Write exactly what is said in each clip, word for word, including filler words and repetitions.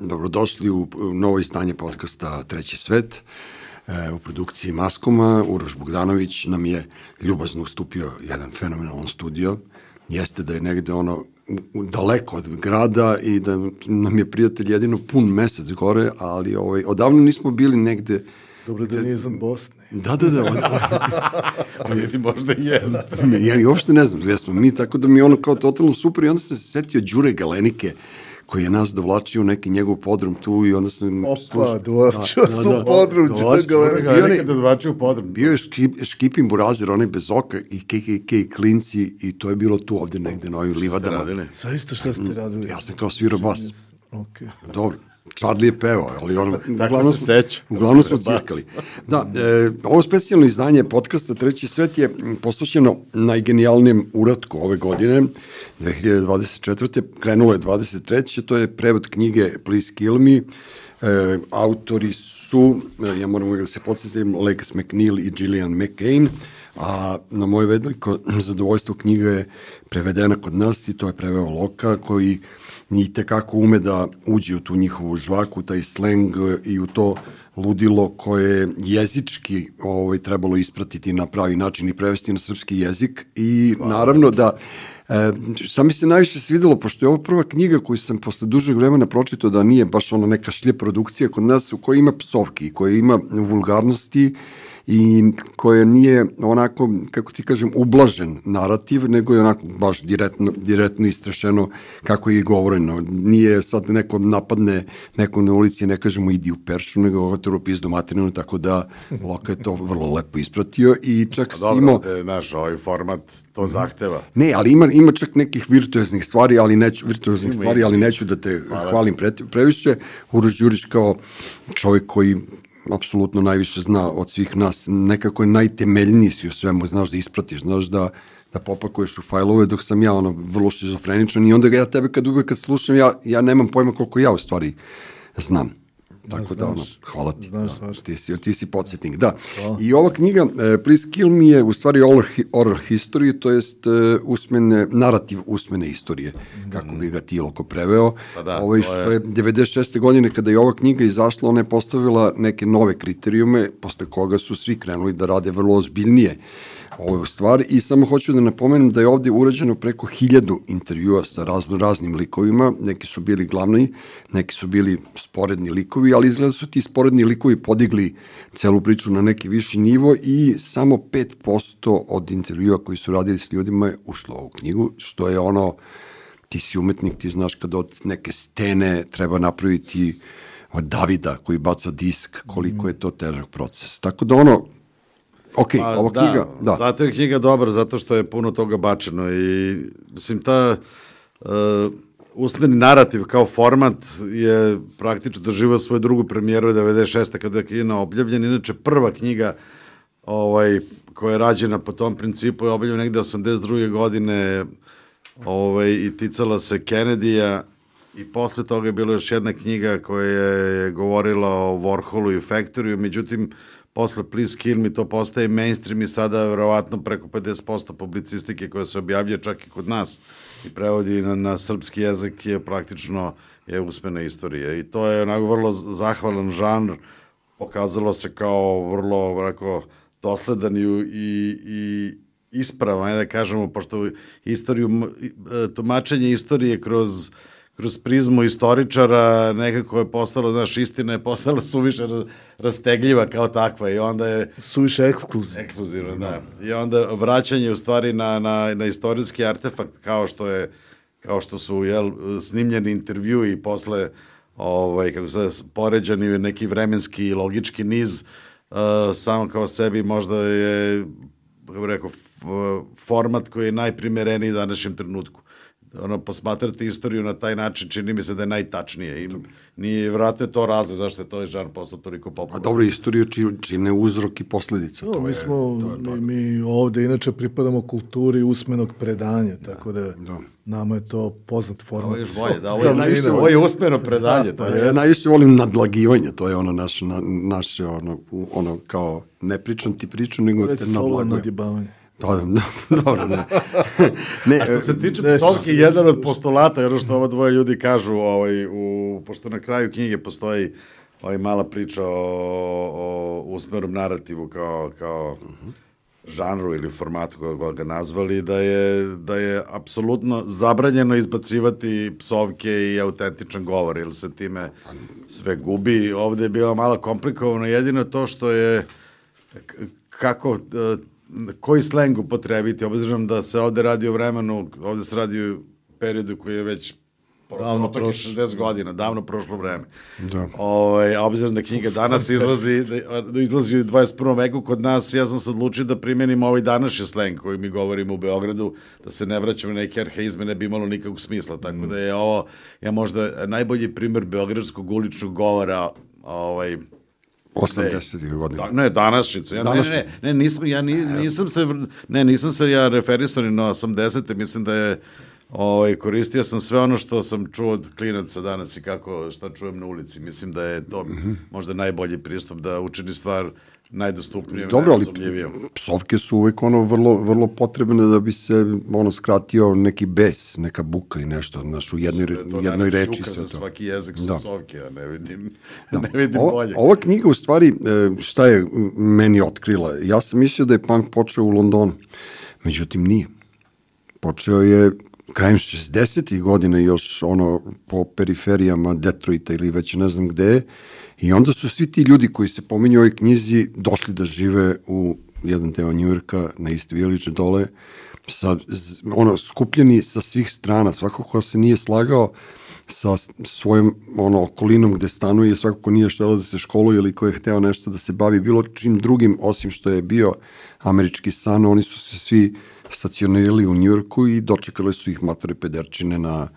dobrodošli u novo izdanje podcasta Treći svet. E, u produkciji Maskoma Uroš Bogdanović nam je ljubazno ustupio jedan fenomenalan studio. Jeste da je negde ono daleko od grada i da nam je prijatelj jedino pun mesec gore, ali ovaj, odavno nismo bili negde. Dobro da nije iznad Bosne. Da, da, da. Ali ti možda i jest. Ja uopšte ne znam, jesmo mi, tako da mi je ono kao totalno super i onda sam se setio Đure Galenike, koji je nas dovlačio u neki njegov podrum tu i onda sam... Opa, dovlačio sam u podrum Đure Galenike. Galenike da dovlačio u podrum. Bio je škip, Škipin Burazer, onaj bez oka i K K K klinci i to je bilo tu ovde negde na ovim livadama. Zaista šta ste radili? Ja sam kao svirao bas. Ok. Dobro. Charlie je pevao, ali ono, uglavnom, se seća. uglavnom smo cirkali. Da, e, ovo specijalno izdanje podcasta Treći svet je posvećeno najgenijalnijem uratku ove godine, dve hiljade dvadeset četvrte. Krenulo je dvadeset treće. To je prevod knjige Please Kill Me. E, autori su, ja moram uvijek da se podsjetim, Lex McNeil i Gillian McCain, a na moje veliko zadovoljstvo knjiga je prevedena kod nas i to je preveo Loka, koji i tekako ume da uđe u tu njihovu žvaku, taj sleng i u to ludilo koje je jezički ovaj, trebalo ispratiti na pravi način i prevesti na srpski jezik i naravno da e, šta mi se najviše svidelo, pošto je ovo prva knjiga koju sam posle dužeg vremena pročitao da nije baš ona neka šlje produkcija kod nas u kojoj ima psovki, koja ima vulgarnosti i koja nije onako, kako ti kažem, ublažen narativ, nego je onako baš direktno, direktno istrešeno kako je i govoreno. Nije sad neko napadne neko na ulici, ne kažemo idi u peršu, nego gotovo pizdu materinu, tako da Loka je to vrlo lepo ispratio i čak si dobro, imao... Dobro, naš, ovaj format to zahteva. Ne, ali ima, ima čak nekih virtuoznih stvari, ali neću, virtuoznih ima stvari, ali neću da te Hvala. hvalim pre, previše. Uroš Đurić kao čovjek koji apsolutno najviše zna od svih nas, nekako je najtemeljniji si u svemu, znaš da ispratiš, znaš da, da popakuješ u fajlove, dok sam ja ono vrlo šizofreničan i onda ga ja tebe kad uvek kad slušam, ja, ja nemam pojma koliko ja u stvari znam. Tako znaš, da, ono, hvala ti. Znaš, da, ti, si, ti si podsjetnik, da. Hvala. I ova knjiga, uh, Please Kill Me, je u stvari oral, oral history, to jest uh, usmene, narativ usmene istorije, mm. kako bi ga ti Loko preveo. Pa da, ovo je što je devedeset šeste godine kada je ova knjiga izašla, ona je postavila neke nove kriterijume, posle koga su svi krenuli da rade vrlo ozbiljnije ove stvari i samo hoću da napomenem da je ovde urađeno preko hiljadu intervjua sa razno raznim likovima, neki su bili glavni, neki su bili sporedni likovi, ali izgleda su ti sporedni likovi podigli celu priču na neki viši nivo i samo pet posto od intervjua koji su radili s ljudima je ušlo u ovu knjigu, što je ono, ti si umetnik, ti znaš kada od neke stene treba napraviti od Davida koji baca disk, koliko je to težak proces. Tako da ono, ok, pa, ova da, knjiga, da. Zato je knjiga dobra, zato što je puno toga bačeno i, mislim, ta uh, usmeni narativ kao format je praktično doživao svoju drugu premijeru devedeset šeste kada je knjiga objavljena. Inače, prva knjiga ovaj, koja je rađena po tom principu je objavljena negde osamdeset druge godine ovaj, i ticala se Kennedyja i posle toga je bila još jedna knjiga koja je govorila o Warholu i Factoryu, međutim, posle Please Kill Me to postaje mainstream i sada verovatno preko pedeset posto publicistike koja se objavlja čak i kod nas i prevodi na, na srpski jezik je praktično je usmena istorija i to je onako vrlo zahvalan žanr, pokazalo se kao vrlo rako, dosledan i, i, i ispravan, da kažemo, pošto istoriju, tumačenje istorije kroz kroz prizmu istoričara nekako je postalo, znaš, istina je postala suviše rastegljiva kao takva i onda je... Suviše ekskluzivno. Ekskluzivno, da. I onda vraćanje u stvari na, na, na istorijski artefakt kao što je, kao što su, jel, snimljeni intervju i posle, ovaj, kako se poređani neki vremenski i logički niz, uh, samo kao sebi možda je, kako bih rekao, format koji je najprimereniji današnjem trenutku. Ono, posmatrati istoriju na taj način čini mi se da je najtačnije i nije, vratno je to razlog zašto je to žanr postao toliko popularan. A dobro, istoriju čine uzrok i posledica. No, to mi, je, smo, to je mi, mi ovde inače pripadamo kulturi usmenog predanja, tako da, da. nama je to poznat format. Ovo je još bolje, da, ovo je, najviše, ovo je usmeno predanje. Da, to je, ja najviše volim nadlagivanje, to je ono naše, na, naše ono, ono kao ne pričam ti priču, nego te nadlagujem. Nadjebavanje. Da, da, dobro, ne. ne. A što se tiče psovke, jedan od postulata, ono što ovo dvoje ljudi kažu, ovaj, u, pošto na kraju knjige postoji ovaj, mala priča o, o usmernom narativu kao, kao uh-huh. žanru ili formatu kako ga nazvali, da je, da je apsolutno zabranjeno izbacivati psovke i autentičan govor, jer se time sve gubi. Ovde je bilo malo komplikovano, jedino to što je kako, koji sleng upotrebiti, obzirom da se ovde radi o vremenu, ovde se radi o periodu koji je već davno prošlo šezdeset godina, davno prošlo vreme. Da. Ovaj, a obzirom da knjiga danas izlazi, da izlazi u dvadeset prvom veku kod nas, ja sam se odlučio da primenim ovaj današnji sleng koji mi govorimo u Beogradu, da se ne vraćamo na neke arhaizme, ne bi imalo nikakvog smisla. Tako mm. da je ovo, ja možda najbolji primer beogradskog uličnog govora, ovaj, osamdesetih godina. Da, ne, današnjicu. Ja, ne, ne, ne, nisam, ja ni, nisam se, ne, nisam se ja referisao ni na osamdesete, mislim da je Ovaj, koristio sam sve ono što sam čuo od klinaca danas i kako, šta čujem na ulici. Mislim da je to mm-hmm. možda najbolji pristup da učini stvar najdostupnijom, dobro, najrazumljivijom. Ali psovke su uvek ono vrlo, vrlo potrebne da bi se ono skratio neki bes, neka buka i nešto, znaš, u jednoj, to jednoj reči. To za svaki jezik su da. psovke, ja ne vidim, da. ne vidim ova, bolje. Ova knjiga u stvari, šta je meni otkrila? Ja sam mislio da je punk počeo u Londonu, međutim nije. Počeo je krajem šezdesetih godina još ono po periferijama Detroita ili već ne znam gde, i onda su svi ti ljudi koji se pominju u ovoj knjizi došli da žive u jedan deo Njujorka na East Village dole, sa, ono, skupljeni sa svih strana, svako ko se nije slagao sa svojom ono, okolinom gde stanuje, svako ko nije štelo da se školuje ili ko je hteo nešto da se bavi bilo čim drugim, osim što je bio američki san, oni su se svi stacionirali u Njujorku i dočekali su ih matore pederčine na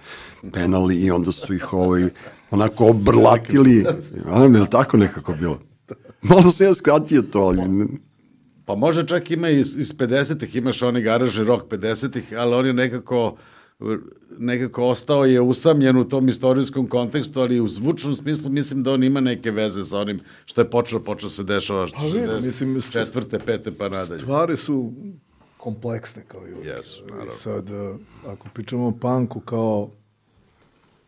penali i onda su ih ovaj, onako obrlatili. A, je li tako nekako bilo? Malo se ja skratio to, ali... Pa može čak ima iz, iz pedesetih, imaš oni garažni rock pedesetih, ali on je nekako, nekako ostao je usamljen u tom istorijskom kontekstu, ali u zvučnom smislu mislim da on ima neke veze sa onim što je počelo, počelo se dešava šezdeset četvrte, pete pa nadalje. Stvari su kompleksne kao i uvijek. Jesu, naravno. Sad, ako pričamo o punku kao,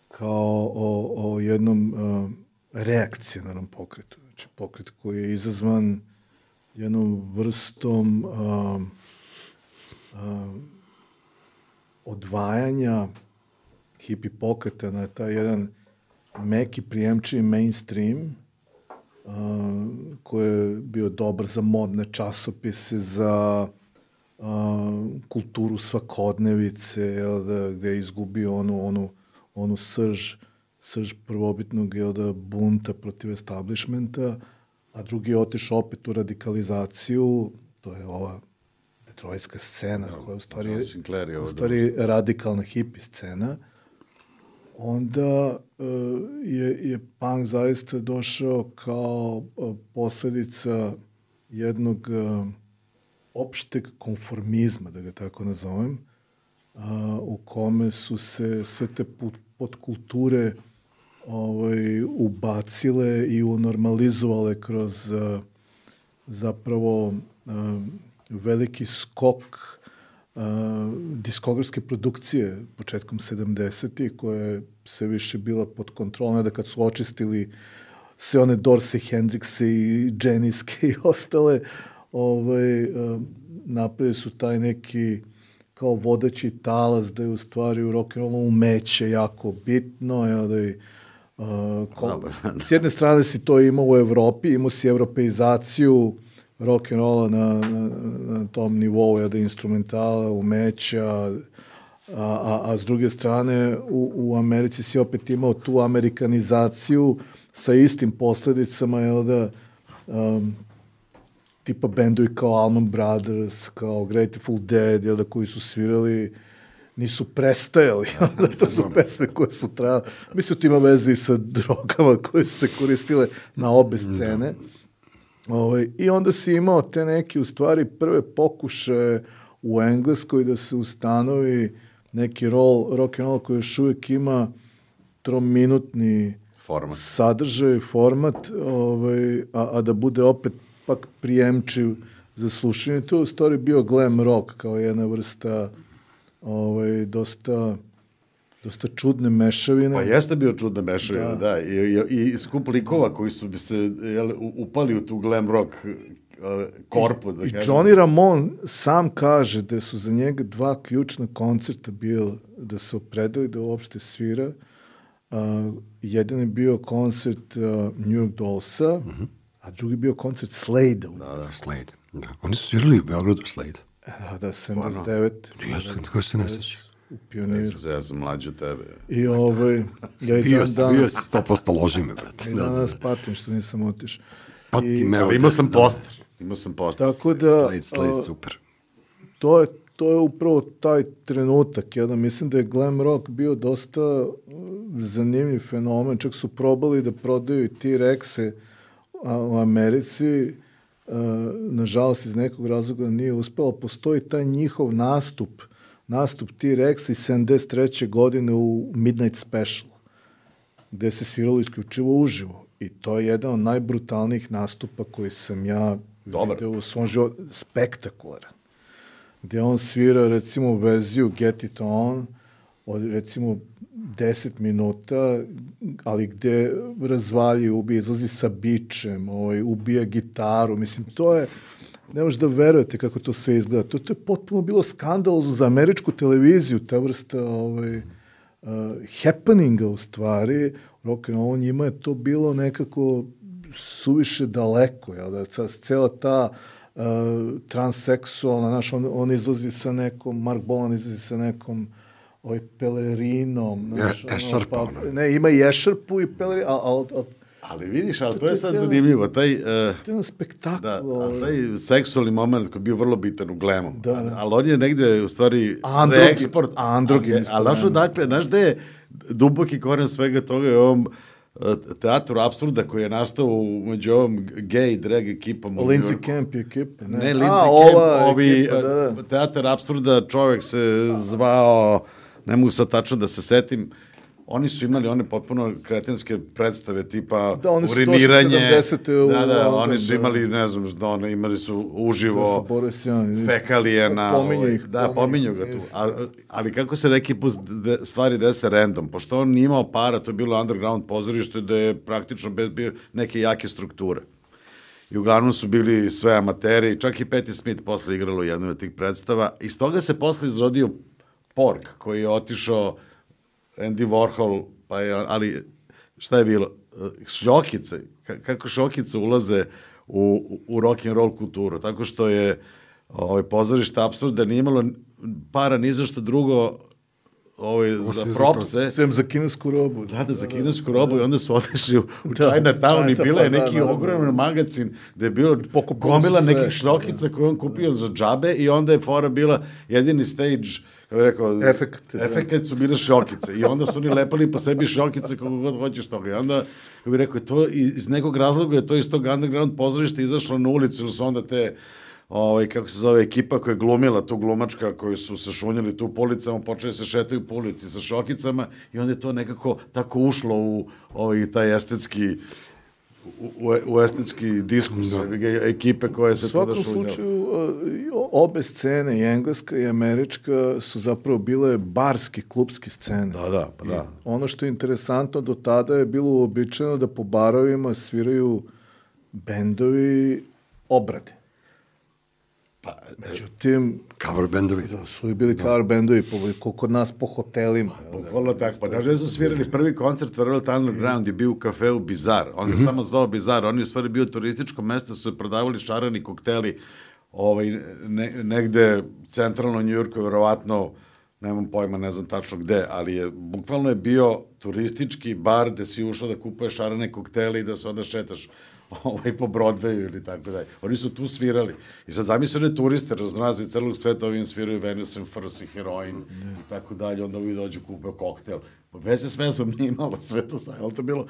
kao o, o jednom uh, reakcionarnom pokretu, znači pokret koji je izazvan jednom vrstom uh, uh, odvajanja hipi pokreta na taj jedan meki prijemčivi mainstream uh, koji je bio dobar za modne časopise, za Uh, kulturu svakodnevice, jel da, gde je izgubio onu, onu, onu srž, srž prvobitnog jel da, bunta protiv establishmenta, a drugi je otišao opet u radikalizaciju, to je ova detroitska scena, ja, koja je u stvari, u stvari radikalna hipi scena. Onda uh, je, je punk zaista došao kao uh, posledica jednog uh, opšteg konformizma, da ga tako nazovem, a, u kome su se sve te podkulture ovaj, ubacile i unormalizovale kroz a, zapravo a, veliki skok a, diskografske produkcije početkom sedamdesetih, koja je sve više bila pod kontrolom, da kad su očistili sve one Dorsey, Hendrixe i Janiske i ostale, ovaj, napravili su taj neki kao vodeći talas da je u stvari u rock'n'rollu umeće jako bitno, ja, da je, uh, ko, s jedne strane si to imao u Evropi, imao si evropeizaciju rock'n'rolla na, na, na tom nivou, ja, da je instrumentala, umeća, a, a, a s druge strane u, u Americi si opet imao tu amerikanizaciju sa istim posledicama, jel da, um, tipa bendovi kao Allman Brothers, kao Grateful Dead, jel da, koji su svirali, nisu prestajali, da to su pesme koje su trajale. Mislim, to ima veze i sa drogama koje su se koristile na obe scene. Ovaj, I onda si imao te neke, u stvari, prve pokušaje u Engleskoj da se ustanovi neki roll, rock and roll koji još uvijek ima trominutni format. sadržaj, format, ovaj, a, a da bude opet pak prijemčiv za slušanje. To je u stvari bio glam rock, kao jedna vrsta ovaj, dosta, dosta čudne mešavine. Pa jeste bio čudna mešavina, da. da. I, i, i skup likova koji su bi se jel, upali u tu glam rock korpu. Da I Johnny Ramone sam kaže da su za njega dva ključna koncerta bilo da se opredeli da uopšte svira. Uh, jedan je bio koncert uh, New York Dollsa, uh-huh. a drugi je bio koncert Slade-a. Da, da, Slade. Da. Oni su svirali u Beogradu Slade. Da, da, sedamdeset devet. Jesu, tako se ne seća. U Pioniru. Ja sam mlađi od tebe. I ovaj... Ja i bio, dan danas, bio si sto posto loži me, brate. I danas patim što nisam otišao. Pati me. Ali imao sam poster. Imao sam poster. Tako da... Slade, Slade, super. To je, to je upravo taj trenutak. Ja da mislim da je glam rock bio dosta zanimljiv fenomen. Čak su probali da prodaju i T-Rexe u Americi. Nažalost, iz nekog razloga nije uspelo. Postoji taj njihov nastup, nastup T-Rexa iz sedamdeset treće godine u Midnight Special, gde se sviralo isključivo uživo. I to je jedan od najbrutalnijih nastupa koji sam ja Dobar. video u svom životu. Spektakularan. Gde on svira, recimo, verziju Get It On, od, recimo, deset minuta, ali gde razvalji, ubije, izlazi sa bičem, ovaj, ubija gitaru. Mislim, to je, ne možete da verujete kako to sve izgleda. To, to je potpuno bilo skandalozno za američku televiziju, ta vrsta ovaj, uh, happeninga u stvari. Rock'n'roll, njima je to bilo nekako suviše daleko, jel da, cela ta uh, transseksualna, znaš, on, on izlazi sa nekom, Mark Bolan izlazi sa nekom ovaj pelerinom. Znaš, ja, ešarpa. ono, pa, ne, ima i ešarpu i pelerinu, ali... Al, ali vidiš, ali to je sad zanimljivo. Taj, uh, to je jedan spektakl. Da, ali taj seksualni moment koji je bio vrlo bitan u glamu. Da, da. Ali on je negde, u stvari, Androgi, reeksport. androgin. Ali znaš odakle, znaš gde je duboki koren svega toga je ovom teatru apsurda koji je nastao među ovom gay drag ekipom. Lindsay Camp ekipa. Ne, ne Lindsay Camp, ovi ekipa, da, da. Teatar apsurda, čovjek se zvao, ne mogu sad tačno da se setim, oni su imali one potpuno kretenske predstave tipa da, oni su uriniranje. U, da, da, oni su imali, ne znam, da one imali su uživo da fekalije na... Pominju ih. Da, pominju ga tu. Ali, ali kako se neki put stvari dese random, pošto on nije imao para, to je bilo underground pozorište da je praktično bez neke jake strukture. I uglavnom su bili sve amateri, čak i Patti Smith posle igralo u jednoj od tih predstava. Iz toga se posle izrodio Pork, koji je otišao Andy Warhol, pa je, ali šta je bilo? Šljokice, kako šljokice ulaze u, u rock and roll kulturu, tako što je ovaj, pozorište apsurda nije imalo para ni za što drugo ovaj, za propse. Sem za kinesku robu. Da, da, za kinesku robu i onda su odešli u, u Chinatown i bila je neki da, da, ogroman da. magazin gde je bilo gomila nekih šljokica koje on kupio za džabe i onda je fora bila jedini stage, kako bih rekao, efekt, efekt su bile šljokice i onda su oni lepali po sebi šljokice kako god hoćeš toga i onda, kako bih rekao, to iz nekog razloga je to iz tog underground pozorišta izašlo na ulicu ili su onda te ovaj, kako se zove, ekipa koja je glumila tu glumačka, koji su se šunjali tu po ulicama, počeli se šetaju po ulici sa šokicama i onda je to nekako tako ušlo u ovaj, taj estetski u, u estetski diskus da. ekipe koje se tu da šunjala. U svakom slučaju, obe scene, i engleska i američka, su zapravo bile barske, klubske scene. Da, da, pa da. I ono što je interesantno, do tada je bilo uobičajeno da po barovima sviraju bendovi obrade. Pa, međutim, cover bendovi. Da, su i bili cover bendovi, po, kod nas po hotelima. Bukvalno tako. Pa da su svirali prvi koncert Velvet Underground je bio u kafeu Bizar. On se mm-hmm. samo zvao Bizar. On je u stvari bio turističko mesto, su prodavali šarani kokteli ovaj, ne, negde centralno u Njujorku, verovatno, nemam pojma, ne znam tačno gde, ali je, bukvalno je bio turistički bar gde si ušao da kupuješ šarane koktele i da se onda šetaš ovaj, po Broadwayu ili tako dalje. Oni su tu svirali. I sad zamislili turiste, razrazi celog sveta, ovim sviraju Venus and First i heroin mm. i tako dalje, onda ovi dođu kupaju koktel. Veze s vezom nije imalo sve to sad, ali to bilo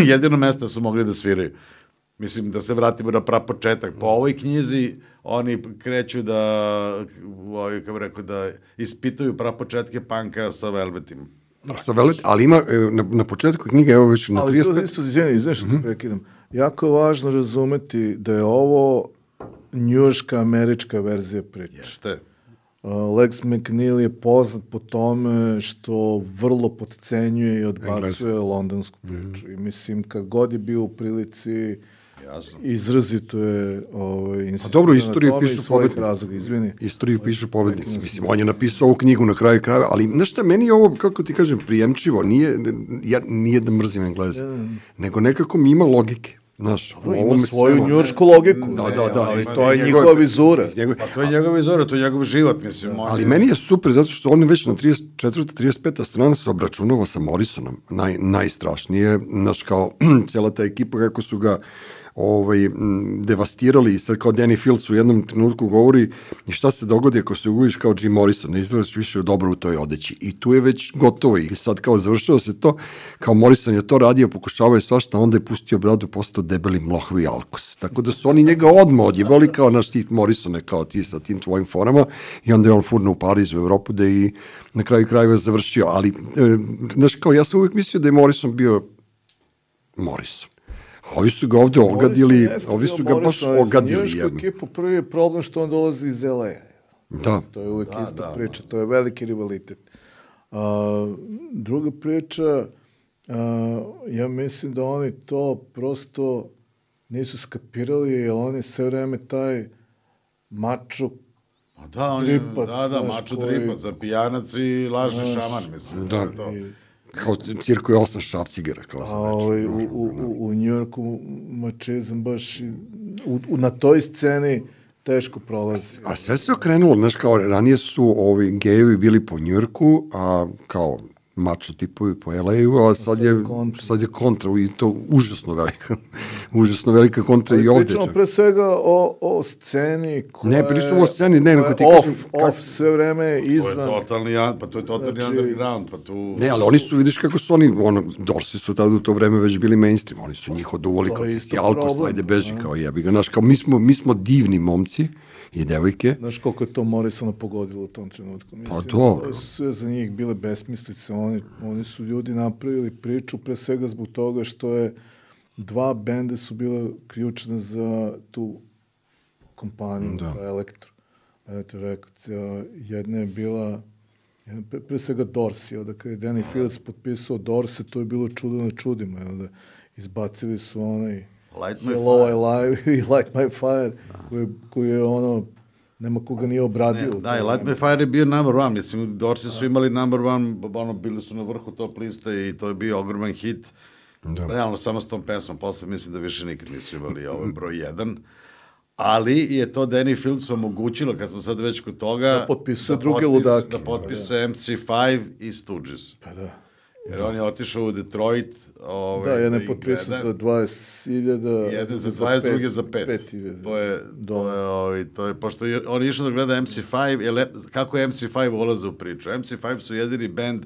jedino mesto su mogli da sviraju. Mislim, da se vratimo na prapočetak. Po ovoj knjizi oni kreću da, ovaj, kako rekao, da ispituju prapočetke panka sa Velvetima. Sa Velvet, ali ima na, na početku knjige, evo već na trideset pet... Ali to isto, izvijeni, znaš što mm-hmm. prekidam. Jako je važno razumeti da je ovo njujorška američka verzija priče. Jeste. Uh, Lex McNeil je poznat po tome što vrlo potcenjuje i odbacuje londonsku priču. Mm. I mislim, kad god je bio u prilici, jasno, izrazito je ovaj, insistirano dobro, istoriju na tome pišu iz svojih pobednici. razloga. Izvini. Istoriju pišu pobednici. Mislim, on je napisao ovu knjigu na kraju krajeva, ali znaš šta, meni je ovo, kako ti kažem, prijemčivo. Nije, ja, nije da mrzim Engleze, yeah. nego nekako mi ima logike. Znaš, ima ovom svoju svema, njujoršku logiku. Da, da, da. Ali to je njegova vizura. Pa to je njegova vizura, to je njegov život, mislim. Da, ali je... meni je super, zato što on već na trideset četvrta trideset peta strana se obračunava sa Morrisonom. Naj, najstrašnije, znaš, kao cijela ta ekipa, kako su ga ovaj, devastirali i sad kao Danny Fields u jednom trenutku govori i šta se dogodi ako se uguliš kao Jim Morrison, ne izgledaš više dobro u toj odeći. I tu je već gotovo i sad kao završava se to, kao Morrison je to radio, pokušavao je svašta, onda je pustio bradu, postao debeli mlohvi alkos. Tako da su oni njega odmah odjebali kao naš tih Morrisone, kao ti sa tim tvojim forama i onda je on furno u Parizu, u Evropu, da i na kraju krajeva završio. Ali, e, znaš, kao ja sam uvijek mislio da je Morrison bio Morrison. Ovi su ga ovde ogadili, ovi su ga baš ogadili. Za njujoršku ekipu prvi je problem što on dolazi iz L A. Da. To je uvijek da, ista da, priča, to je veliki rivalitet. Uh, druga priča, uh, ja mislim da oni to prosto nisu skapirali, jer oni sve vreme taj mačo da, on je, dripac. Da, da, mačo koji... dripac, za pijanac i lažni znaš, šaman, mislim. Da, to. I, kao cirkuje osam šrafcigera, kao sam ovaj, u, u, u, u Njujorku mačizam baš u, u, na toj sceni teško prolazi. A sve se okrenulo, znaš, kao ranije su ovi gejevi bili po Njujorku, a kao mačo tipovi po L A-u, a sad je, sad je kontra i to užasno velika, užasno velika kontra ali i ovde. Pričamo pre svega o, o sceni koja ne, pričamo o sceni, ne, nego ti off, kažem... Off, kak... sve vreme izvan. To je totalni, pa to je totalni znači, underground, pa tu... Ne, ali oni su, vidiš kako su oni, ono, Dorsi su tada u to vreme već bili mainstream, oni su njih oduvali kao ti Alkos, ajde beži, a? Kao jebi ga, znaš, kao mi smo, mi smo divni momci, i devojke. Znaš koliko je to Morrisona pogodilo u tom trenutku. Mislim, pa dobro. To su sve za njih bile besmislice. Oni, oni su ljudi napravili priču pre svega zbog toga što je dva benda su bila ključna za tu kompaniju, da. Za Elektro. Elektro Records. Jedna je bila jedna, pre, pre svega Dorsey. Onda kada je Danny Fields potpisao Dorsey, to je bilo čudo na čudima. Onda izbacili su onaj Light My Hello, Fire. I Live i Light My Fire, koji, koji je ono, nema koga nije obradio. Ne, da, i Light My Fire je bio number one, mislim, Dorsi su imali number one, ono, bili su na vrhu top liste i to je bio ogroman hit. Da. Realno, samo s tom pesmom, posle mislim da više nikad nisu imali ovaj broj jedan. Ali je to Danny Fields omogućilo, kad smo sad već kod toga, da potpisuje druge ludake. Da potpisuje da. M C five i Stooges. Pa da. Jer da. On je otišao u Detroit. Ovaj, da, jedan je potpisao za dvadeset hiljada. Jedan za dvadeset, drugi za pet. pet to je, to je, ovaj, to je, pošto je, on je išao da gleda M C five, je, kako je M C five ulaze u priču. M C five su jedini band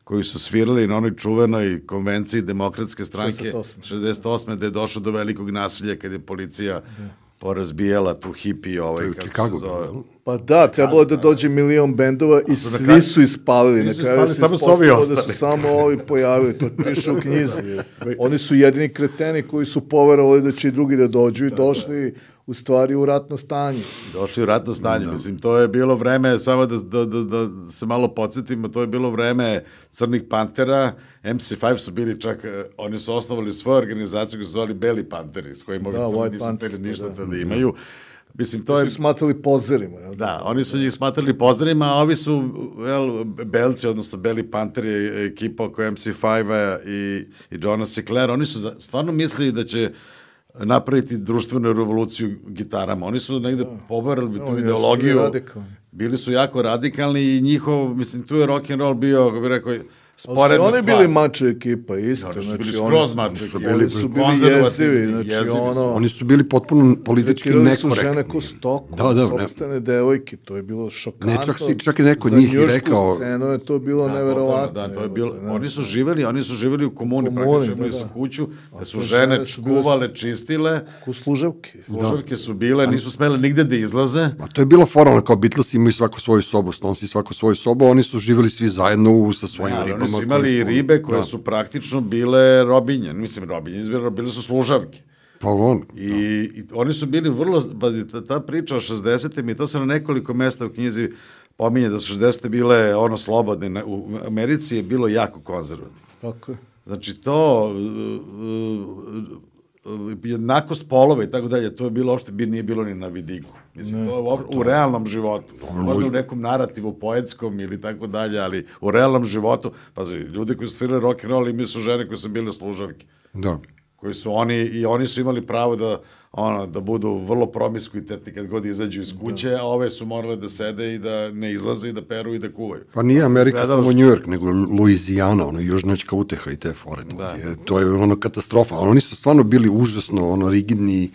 koji su svirali na onoj čuvenoj konvenciji Demokratske stranke šezdeset osme gde je došlo do velikog nasilja kad je policija da. Porazbijala tu hipi ovaj, kako Chicago, se zove. Pa da, trebalo je da dođe milion bendova i svi kraju, su ispalili. Svi su ispalili, samo su ovi ostali. Da su samo ovi pojavili, to piše u knjizi. Oni su jedini kreteni koji su poverovali da će i drugi da dođu i došli u stvari u ratno stanje. Došli u ratno stanje, no. Mislim, to je bilo vreme, samo da, da, da, da se malo podsjetimo, to je bilo vreme Crnih Pantera, M C five su bili čak, oni su osnovali svoju organizaciju koji su zvali Beli Panteri, s kojima da, ovi crni nisu teli ništa da, da imaju. Mislim, to je... su smatrali pozerima. Jel? Da, oni su njih smatrali pozerima, a ovi su, jel, Belci, odnosno Beli Panteri, ekipa oko M C five-a i, i Johna Sinclair, oni su stvarno mislili da će napraviti društvenu revoluciju gitarama. Oni su negde poverili tu ideologiju. Bili su jako radikalni i njihov, mislim, tu je rock and roll bio, kako bih rekao, sporedna stvar. Oni bili mačo ekipa, isto. Da, znači, bili skroz mačo ekipa. Oni su bili jezivi, znači jezivi ono... Oni su bili potpuno politički nekorektni. Su žene ko stoku, da, da, sopstvene devojke, to je bilo šokantno. Ne, čak, si, čak i neko njih i rekao... Za scenu je to bilo da, neverovatno. Da, to je bilo, oni su živeli, oni su živeli u komuni, praktično imali su kuću, da su žene kuvale, čistile. Ko služavke. Služavke su bile, nisu smele nigde da izlaze. A to je bilo formalno, kao Beatles imaju svako svoju sobu, Stonesi svako svoju sobu, oni su živeli svi zajedno sa svojim ribama. Oni su imali i ribe koje da. Su praktično bile robinje, mislim robinje, bile su služavke. Pa on. I, i oni su bili vrlo, ta, ta priča o šezdesetim i to se na nekoliko mesta u knjizi pominje da su šezdesete bile ono slobodne, u Americi je bilo jako konzervativno. Tako je. Znači to, jednakost polova i tako dalje, to je bilo uopšte, nije bilo ni na vidiku. Mislim, ne, to je u, u realnom životu. Možda u nekom narativu poetskom ili tako dalje, ali u realnom životu, pazi, ljudi koji su svirali rock and roll imaju su žene koje su bile služavke. Da. Koji su oni, i oni su imali pravo da, ono, da budu vrlo promiskuitetni kad god izađu iz kuće, da. A ove su morale da sede i da ne izlaze i da peru i da kuvaju. Pa nije Amerika Sledalo samo New York, nego Luizijana, ono, južnačka uteha i te fore. To, da. je, to je ono katastrofa. Oni su stvarno bili užasno ono, rigidni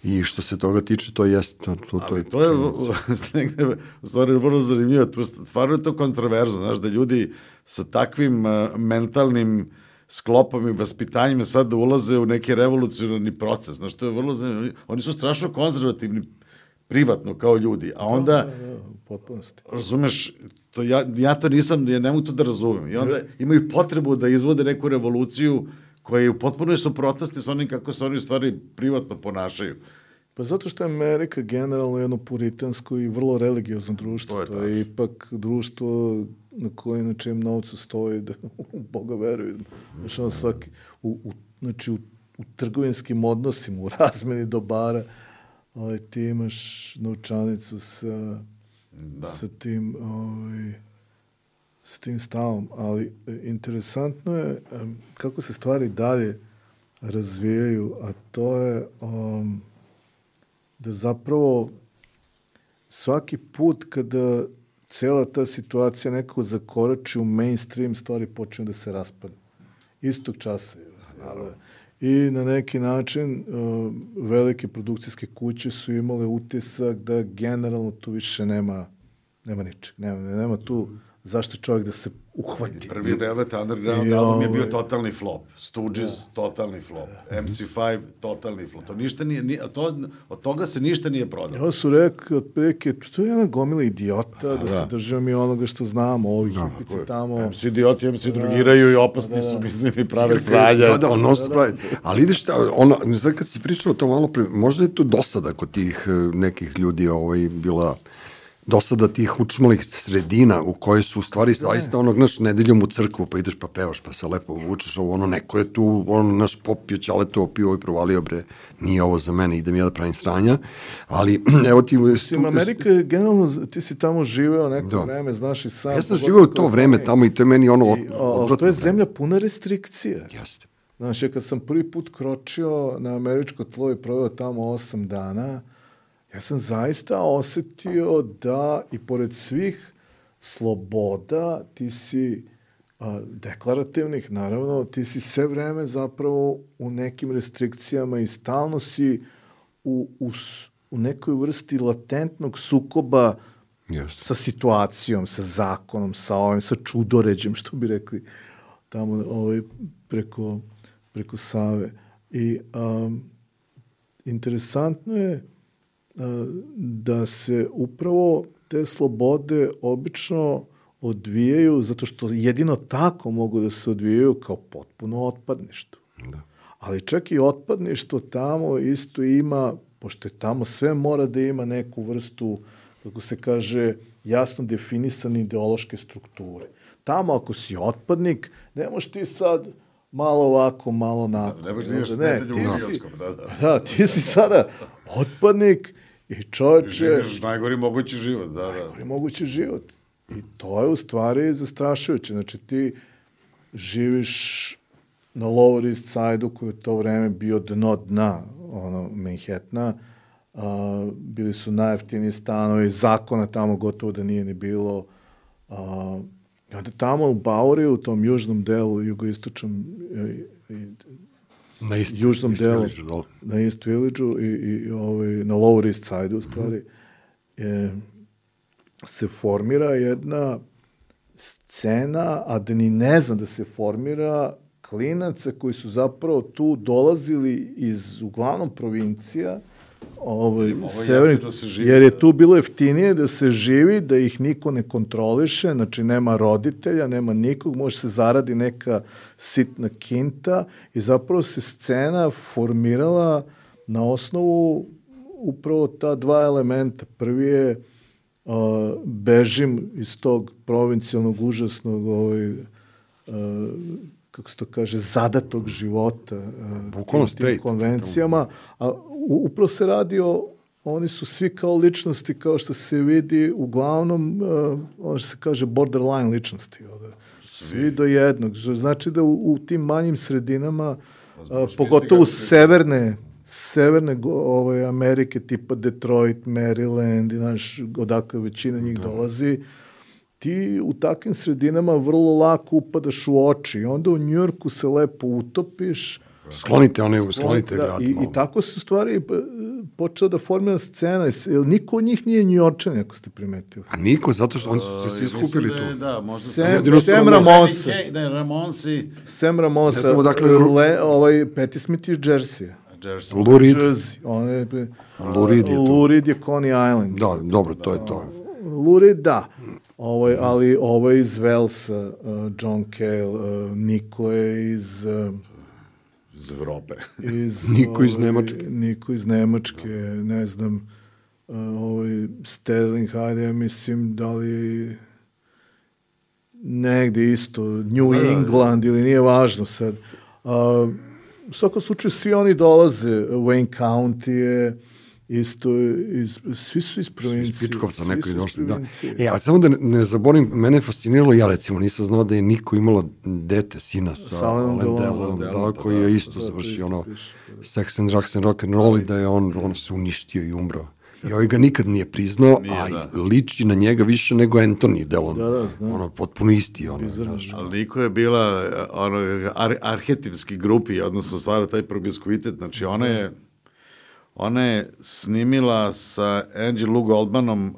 i što se toga tiče, to jest... To, to, to, je, to je negde, u stvari, vrlo zanimljivo. Stvarno je to kontroverzno, znaš, da ljudi sa takvim uh, mentalnim sklopom i vaspitanjima sad da ulaze u neki revolucionarni proces. Znaš, to je vrlo zanimljivo. Oni su strašno konzervativni privatno kao ljudi, a onda... Da, da, potpunosti. Razumeš, to ja, ja to nisam, ja ne mogu to da razumem. I onda imaju potrebu da izvode neku revoluciju koja je u potpunoj suprotnosti sa onim kako se oni stvari privatno ponašaju. Pa zato što je Amerika generalno jedno puritansko i vrlo religiozno društvo. To je, to je ipak društvo na koje na čijem novcu stoji da u Boga veruju. Znači, ono svaki, u, u, znači u, u trgovinskim odnosima, u razmeni dobara, ovaj, ti imaš novčanicu sa, da. sa tim ovaj, sa tim stavom. Ali interesantno je um, kako se stvari dalje razvijaju, a to je um, da zapravo svaki put kada cela ta situacija nekako zakorači u mainstream, stvari počinju da se raspadne. Istog časa. Naravno. I na neki način uh, velike produkcijske kuće su imale utisak da generalno tu više nema, nema ničeg. Nema, nema tu zašto čovjek da se uhvati. Prvi Velvet Underground album je bio totalni flop. Stooges, da. Totalni flop. em ce pet, totalni flop. To ništa nije, nije to, od toga se ništa nije prodalo. Ja su rekli, otprilike, to je jedna gomila idiota, da, da se držimo mi onoga što znamo, ovih da, hipici tamo. em ce idioti, em ce drugiraju i opasni da, da. su, mislim, i prave sranja. Da, da, ono da, pravi. Ali ideš, ono, sad kad si pričao o to malo pre, možda je to dosada kod tih nekih ljudi ovaj, bila... dosada tih učmalih sredina u kojoj su u stvari zaista onog, naš, nedeljom u crkvu pa ideš pa pevaš pa se lepo vučeš ovo, ono, neko je tu, ono, naš popio ćaleto, opio i provalio, bre, nije ovo za mene, idem ja da pravim sranja, ali, evo ti... Mislim, Amerika je generalno, ti si tamo živeo neko da. vreme, znaš i sam... Ja sam živeo u to vreme tamo i to je meni ono... I, o, to je zemlja puna restrikcija. Jeste. Znaš, ja kad sam prvi put kročio na američko tlo i proveo tamo osam dana, ja sam zaista osetio da i pored svih sloboda ti si a, deklarativnih, naravno, ti si sve vreme zapravo u nekim restrikcijama i stalno si u, u, u nekoj vrsti latentnog sukoba yes. sa situacijom, sa zakonom, sa ovim, sa čudoređem, što bi rekli tamo ovaj, preko, preko Save. I um, interesantno je da se upravo te slobode obično odvijaju, zato što jedino tako mogu da se odvijaju kao potpuno otpadništvo. Da. Ali čak i otpadništvo tamo isto ima, pošto je tamo sve mora da ima neku vrstu, kako se kaže, jasno definisane ideološke strukture. Tamo ako si otpadnik, ne možeš ti sad malo ovako, malo onako. Da, ne možeš da ideš nedelju u Hrvatskom, da, da. Da, ti si sada otpadnik i čovječe... Živiš najgori mogući život, da, da. Najgori mogući život. I to je u stvari zastrašujuće. Znači, ti živiš na Lower East Side-u koji je to vreme bio dno dna, ono, Manhattana. A, bili su najjeftiniji stanovi, zakona tamo gotovo da nije ni bilo. A, I onda tamo u Bowery, u tom južnom delu, jugoistočnom i, i na East, južnom East delu, Village, na East Village-u i, i ovaj, na Lower East Side-u, u stvari, mm. je, se formira jedna scena, a da ni ne znam da se formira, klinaca koji su zapravo tu dolazili iz, uglavnom, provincija, ovaj, severni, jer je tu bilo jeftinije da se živi, da ih niko ne kontroliše, znači nema roditelja, nema nikog, može se zaradi neka sitna kinta i zapravo se scena formirala na osnovu upravo ta dva elementa. Prvi je uh, bežim iz tog provincijalnog, užasnog ovaj, uh, kako se to kaže, zadatog života uh, tim, tim konvencijama, a u, upravo se radi o, oni su svi kao ličnosti, kao što se vidi, uglavnom, uh, ono što se kaže borderline ličnosti, ovde. Svi do jednog. Znači da u, u tim manjim sredinama, a, pogotovo severne, severne ovaj, Amerike, tipa Detroit, Maryland, i naš, odakle većina njih da. dolazi, ti u takvim sredinama vrlo lako upadaš u oči. I onda u Njujorku se lepo utopiš. Sklonite one, sklonite da, grad. I, I tako se u stvari počela da formira scena. Niko od njih nije Njujorčan, ako ste primetili. A niko, zato što oni su se svi skupili tu. Da, da, možda Sam, sam, Sam Ramonsa. Ne, Ramonsi. Sam Ramonsa. Ne dakle, Le, ovaj, Patti Smith iz Jersey. Jersey. Lou Reed. On je, Lou Reed je to. Lou Reed je Coney Island. Da, dobro, to je to. Lou Reed, da. Ovaj, ali ovo je iz Velsa, uh, John Cale, uh, Niko je iz... Uh, iz Evrope. Iz, Niko iz ovaj, Nemačke. Niko iz Nemačke, ne znam, uh, ovaj, Sterling, hajde, ja mislim, da li negde isto, New England, ili nije važno sad. Uh, u svakom slučaju, svi oni dolaze, Wayne County je, isto, iz, svi su iz provincije. Iz Pičkovca neko je došli, da. E, ali samo da ne, ne zaborim, mene je fasciniralo, ja recimo nisam znao da je Niko imala dete, sina sa Alain Delon, da, koji je isto završio ono Sex and Drugs and Rock and Roll i da je on, on se uništio i umro. I ovaj ga nikad nije priznao, nije, a da. liči na njega više nego Anthony Delon. Da, da, znam. Ono, potpuno isti. Ono, znaš. Ali Niko je bila ono, ar, arhetipski grupi, odnosno stvara taj promiskuitet. Znači, ona je Ona je snimila sa Angie Lou Goldmanom,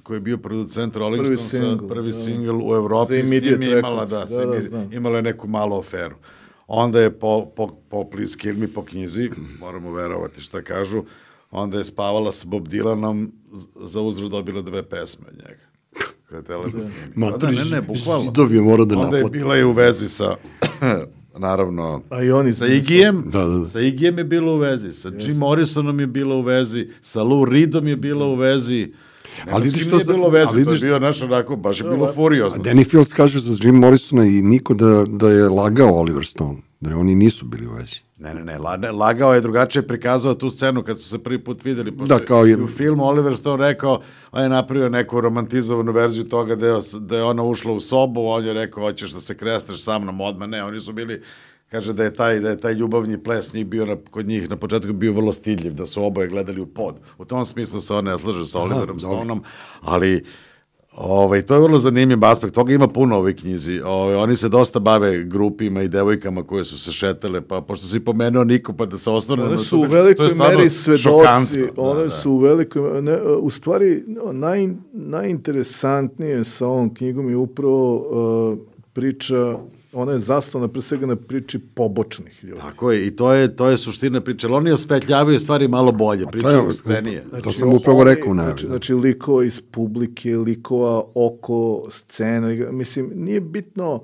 koji je bio producent Rolling prvi Stonesa, single, prvi da. single u Evropi, s njim je imala, da, da, da, da, imala je neku malu aferu. Onda je po, po, popli s Kill Me po knjizi, moramo verovati šta kažu, onda je spavala sa Bob Dylanom, za uzvrat dobila dve pesme od njega. Kada je tela da snimi. Matri, da, ne, ne, bukvalno. Židovi je mora da naplati. Onda je bila i u vezi sa... naravno, a i oni sa Iggyjem, da, da. sa Iggyjem je bilo u vezi, sa yes. Jim Morrisonom je bilo u vezi, sa Lou Reedom je bilo u vezi, nema ali s kim nije bilo u vezi, to je bio naš onako, baš je bilo furiozno. A Danny Fields kaže za Jim Morrisona i Niko da, da je lagao Oliver Stone, da oni nisu bili u vezi. Ne, ne, ne, lagao je, drugačije prikazao tu scenu kad su se prvi put videli, pošto da, kao je u filmu Oliver Stone rekao, on je napravio neku romantizovanu verziju toga da je, da je ona ušla u sobu, on je rekao, hoćeš da se krestaš sa mnom odmah, ne, oni su bili, kaže da je taj, da je taj ljubavni ples njih bio na, kod njih na početku bio vrlo stidljiv, da su oboje gledali u pod. U tom smislu se on ne slaže sa Oliverom Stoneom, ali ovaj, to je vrlo zanimljiv aspekt, toga ima puno u ovoj knjizi. Ovaj, oni se dosta bave grupima i devojkama koje su se šetale, pa pošto si pomenuo Niko, pa da se osnovne... One su u velikoj meri svedoci, one da, su u velikoj... Ne, u stvari, naj, najinteresantnije sa ovom knjigom je upravo uh, priča... Ona je zasnovana pre svega na priči pobočnih ljudi. Tako je, i to je, to je suština priče. Ali oni osvetljavaju stvari malo bolje, pričaju iskrenije. Znači, to sam upravo rekao. Ne, znači, znači, likova iz publike, likova oko scene. Mislim, nije bitno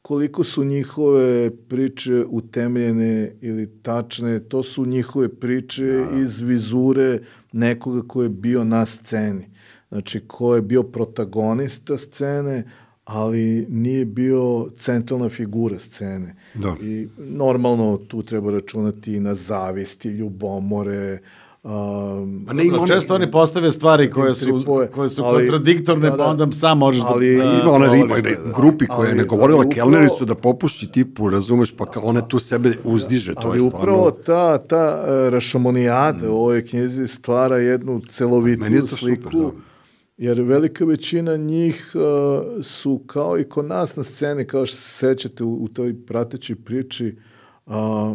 koliko su njihove priče utemeljene ili tačne. To su njihove priče da. iz vizure nekoga ko je bio na sceni. Znači, ko je bio protagonista scene, ali nije bio centralna figura scene. Da. I normalno tu treba računati i na zavisti, ljubomore. Um, A ne, ima često oni postave stvari koje su, tripoje, koje su ali, kontradiktorne, da, da, pa onda sam možeš ali, da... Ali ima one riba, grupi koje je ne govorila kelnericu da popuši tipu, razumeš, pa ona tu sebe uzdiže. To ali je upravo ta, ta uh, rašomonijada mm. u ovoj knjizi stvara jednu celovitiju sliku. Super, da. Jer velika većina njih uh, su kao i kod nas na sceni, kao što se sećate u, u toj pratećoj priči, uh, uh,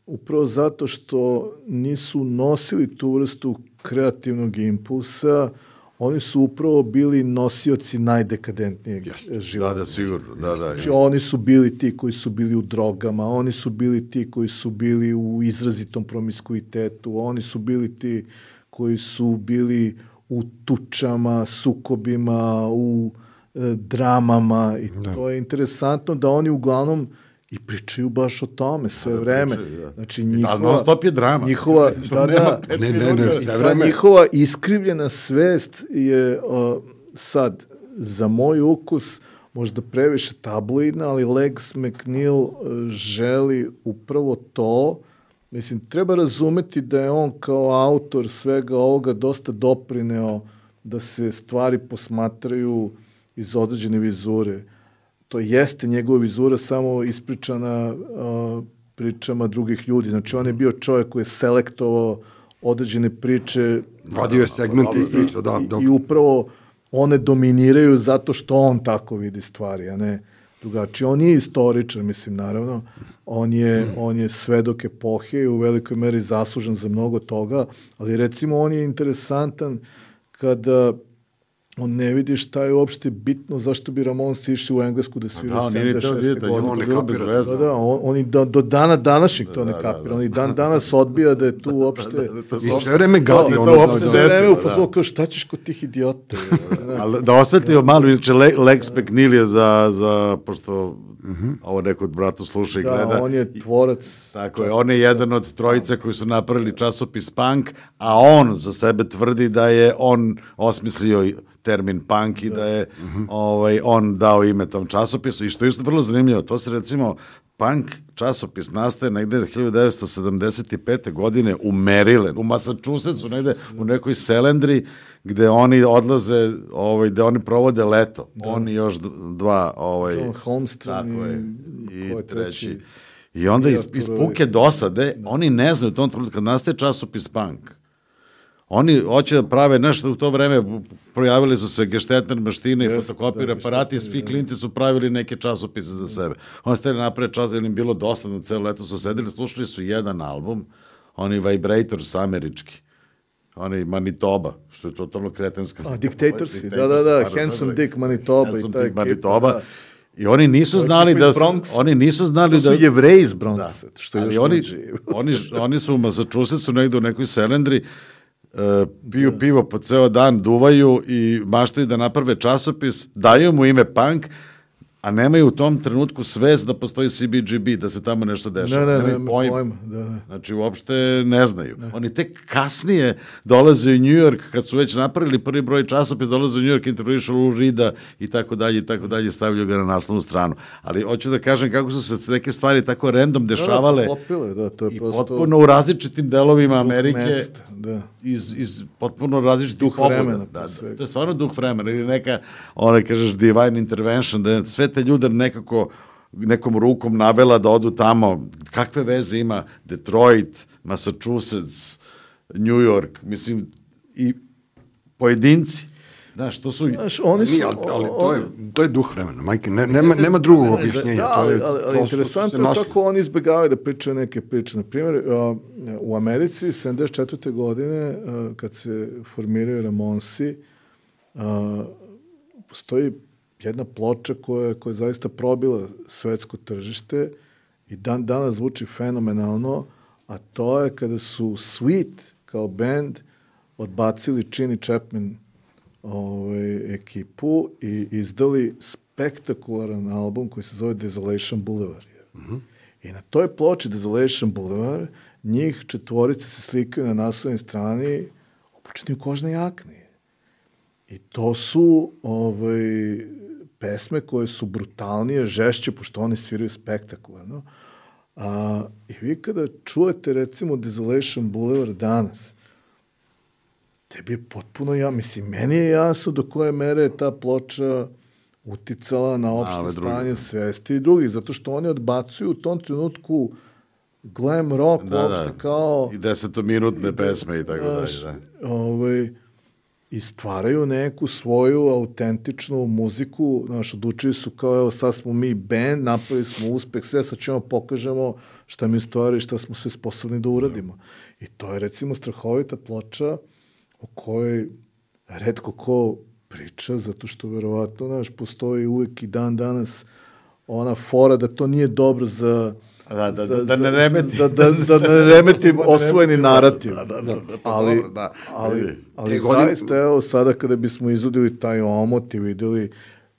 upravo zato što nisu nosili tu vrstu kreativnog impulsa, oni su upravo bili nosioci najdekadentnijeg Jeste. života. Da, da, sigurno. Da, da, znači, oni su bili ti koji su bili u drogama, oni su bili ti koji su bili u izrazitom promiskuitetu, oni su bili ti koji su bili u tučama, sukobima, u e, dramama i da. To je interesantno da oni uglavnom i pričaju baš o tome sve da, vreme. Pričaju, da. Znači, njihova, da, non stop je drama. Njihova, da, da, ne, ne, ne, sve vreme. Njihova iskrivljena svest je uh, sad, za moj ukus, možda previše tabloidna, ali Legs McNeil uh, želi upravo to. Mislim, treba razumeti da je on kao autor svega ovoga dosta doprineo da se stvari posmatraju iz određene vizure. To jeste njegova vizura samo ispričana uh, pričama drugih ljudi. Znači, on je bio čovjek koji je selektovao određene priče. Vadio je segmente iz priča, da. I, I upravo one dominiraju zato što on tako vidi stvari, a ne drugačije. On je istoričar, mislim, naravno. On je, on je svedok epohe i u velikoj meri zaslužen za mnogo toga, ali recimo on je interesantan kada on ne vidi šta je uopšte bitno, zašto bi Ramonsi išli u Englesku da svira da, sedamdeset šeste godine. On ne kapira. Da, da, on, oni do, do dana današnjeg to da, ne kapira. Da, da. Oni dan danas odbija da je tu uopšte... da, da, da, I sve vreme gazi. ono uopšte sve vreme u fazonu kao šta ćeš kod tih idiota. Ali da osvetlimo malo, inače Lex McNeil je za, za pošto mm-hmm. ovo neko od bratu sluša i da, gleda. Da, on je tvorac. Tako je, on je jedan od trojica koji su napravili časopis Punk, a on za sebe tvrdi da je on osmislio termin punk i da, da je mm-hmm. ovaj, on dao ime tom časopisu i što je isto vrlo zanimljivo, to se recimo punk časopis nastaje negde hiljadu devetsto sedamdeset pete. godine u Maryland, u Massachusettsu, negde u nekoj selendri gde oni odlaze, ovaj, gde oni provode leto. Da. Oni još dva... Ovaj, John Holmstrom tako je, i, i treći. I onda iz, iz puke dosade, da. Oni ne znaju u tom trenutku, kad nastaje časopis punk, oni hoće da prave nešto u to vreme, projavili su se geštetner maštine i yes, fotokopir aparati i svi da. Klinci su pravili neke časopise za sebe. Oni stali naprave čas, jer im bilo dosadno, celo leto su sedeli, slušali su jedan album, oni Vibrators američki, oni Manitoba, što je totalno kretenska. A, Dictatorsi, da, da, da, Handsome Dick Manitoba. Handsome Dick Manitoba. Da. I oni nisu znali da su, oni nisu znali da su Jevreji iz Bronxa, što je još oni, oni, oni su u Massachusettsu negde u nekoj selendri, Uh, piju da. pivo po ceo dan, duvaju i maštaju da naprave časopis, daju mu ime punk, a nemaju u tom trenutku svest da postoji C B G B, da se tamo nešto dešava. Ne, ne, nemaju ne, pojma. pojma. Da, da. Znači, uopšte ne znaju. Ne. Oni tek kasnije dolaze u New York, kad su već napravili prvi broj časopis, dolaze u New York, intervjuišu Lou Reeda i tako dalje, i tako dalje, stavljaju ga na naslovnu stranu. Ali hoću da kažem kako su se neke stvari tako random dešavale da, da, popile, da, to je i prosto potpuno u različitim delovima Amerike. Mesta, da. Iz, iz potpuno različitih duh vremena. Da, da, to je stvarno duh vremena. Ili neka, ona kažeš, divine intervention, da je sve te ljude nekako nekom rukom navela da odu tamo. Kakve veze ima Detroit, Massachusetts, New York, mislim, i pojedinci. Znaš, to su... Znaš, oni su... Nije, ali, ali to, je, to je duh vremena, majke, ne, nema, nema drugog objašnjenja. Da, ali, ali, ali interesantno je kako oni izbjegavaju da pričaju neke priče. Naprimjer, uh, u Americi sedamdeset četvrte. godine, uh, kad se formiraju Ramonsi, uh, postoji jedna ploča koja, koja je zaista probila svetsko tržište i dan danas zvuči fenomenalno, a to je kada su Sweet kao band odbacili Chini Chapman ovaj, ekipu i izdali spektakularan album koji se zove Desolation Boulevard. Mm-hmm. I na toj ploči Desolation Boulevard njih četvorice se slikaju na naslovnoj strani obučeni u kožne jakne. I to su ovaj, pesme koje su brutalnije, žešće, pošto oni sviraju spektakularno. A, I vi kada čujete recimo Desolation Boulevard danas, tebi je potpuno, ja mislim, meni je jasno do koje mere je ta ploča uticala na opšte stanje svesti i drugih, zato što oni odbacuju u tom trenutku glam rock, da, uopšte da. Kao... I desetominutne pesme i tako dalje. Da. Ovaj, I stvaraju neku svoju autentičnu muziku, znaš, odlučili su kao, evo, sad smo mi band, napravili smo uspeh, sve, sad ćemo pokažemo šta mi stvari, šta smo sve sposobni da uradimo. I to je, recimo, strahovita ploča o kojoj retko ko priča, zato što verovatno, znaš, postoji uvek i dan danas ona fora da to nije dobro za... Da, da, za, da ne remeti. Da, da, da ne remeti osvojeni narativ. Da, da, da, da, pa ali, dobro, da. Ali, ali zaista, evo, sada kada bismo izudili taj omot i videli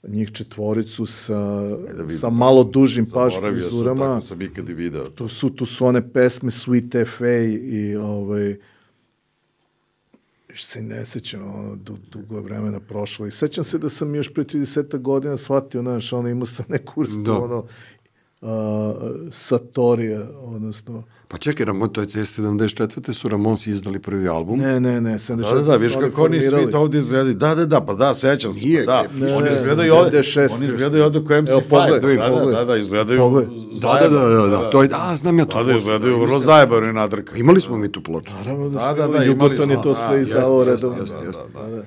njih četvoricu sa, e sa malo dužim paž frizurama. Zaboravio sam, tako sam ikad i video. Tu su, tu su one pesme Sweet F A i ovaj, što se ne sećam, ono, du, dugo je vremena prošlo. I sećam se da sam još pre trideset godina shvatio, znaš, ono, imao sam neku vrstu, da. ono, uh, Satorija, odnosno... Pa čekaj, Ramon, to je sedamdeset četvrte su Ramonsi izdali prvi album. Ne, ne, ne, sedamdeset četvrte Da, da, da, viš kako oni svi to ovdje izgledali. Da, da, da, pa da, sećam se. Nije, da, ne, oni ne, izgledaju ovdje, oni izgledaju ovdje ko M C pet. Da, da, da, da, izgledaju da, da, da, da, to je, a, znam ja to. Da, da, izgledaju vrlo zajebano i nadrka. Imali smo mi tu ploču. Naravno da smo imali, Jugoton je to sve izdavao redovno.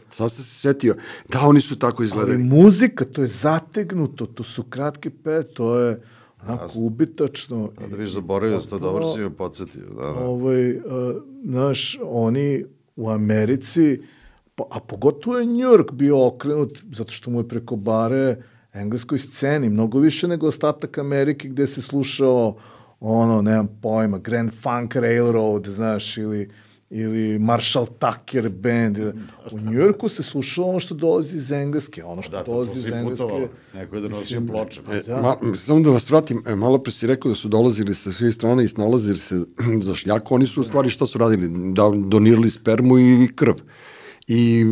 Sad sam se setio, da, oni su tako izgledali. Ali muzika, to je zategnuto, to su kratke pe, to je... onako ubitačno. Da, da viš zaboravio da ste dobro si me podsjetio. Da, da. Ovaj, uh, znaš, oni u Americi, pa, a pogotovo je New York bio okrenut, zato što mu je preko bare engleskoj sceni, mnogo više nego ostatak Amerike gde se slušao ono, nemam pojma, Grand Funk Railroad, znaš, ili ili Marshall Tucker Band. U Njujorku se slušalo ono što dolazi iz Engleske, ono što da, dolazi iz Engleske. Putovalo. Neko je donosio ploče. E, da. ma, samo da vas vratim, e, malo pre si rekao da su dolazili sa svih strana i snalazili se za šljaku, oni su u stvari šta su radili? Da, donirali spermu i krv. I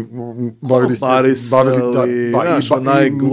bavili se, bavili, da, ba, naš, ba,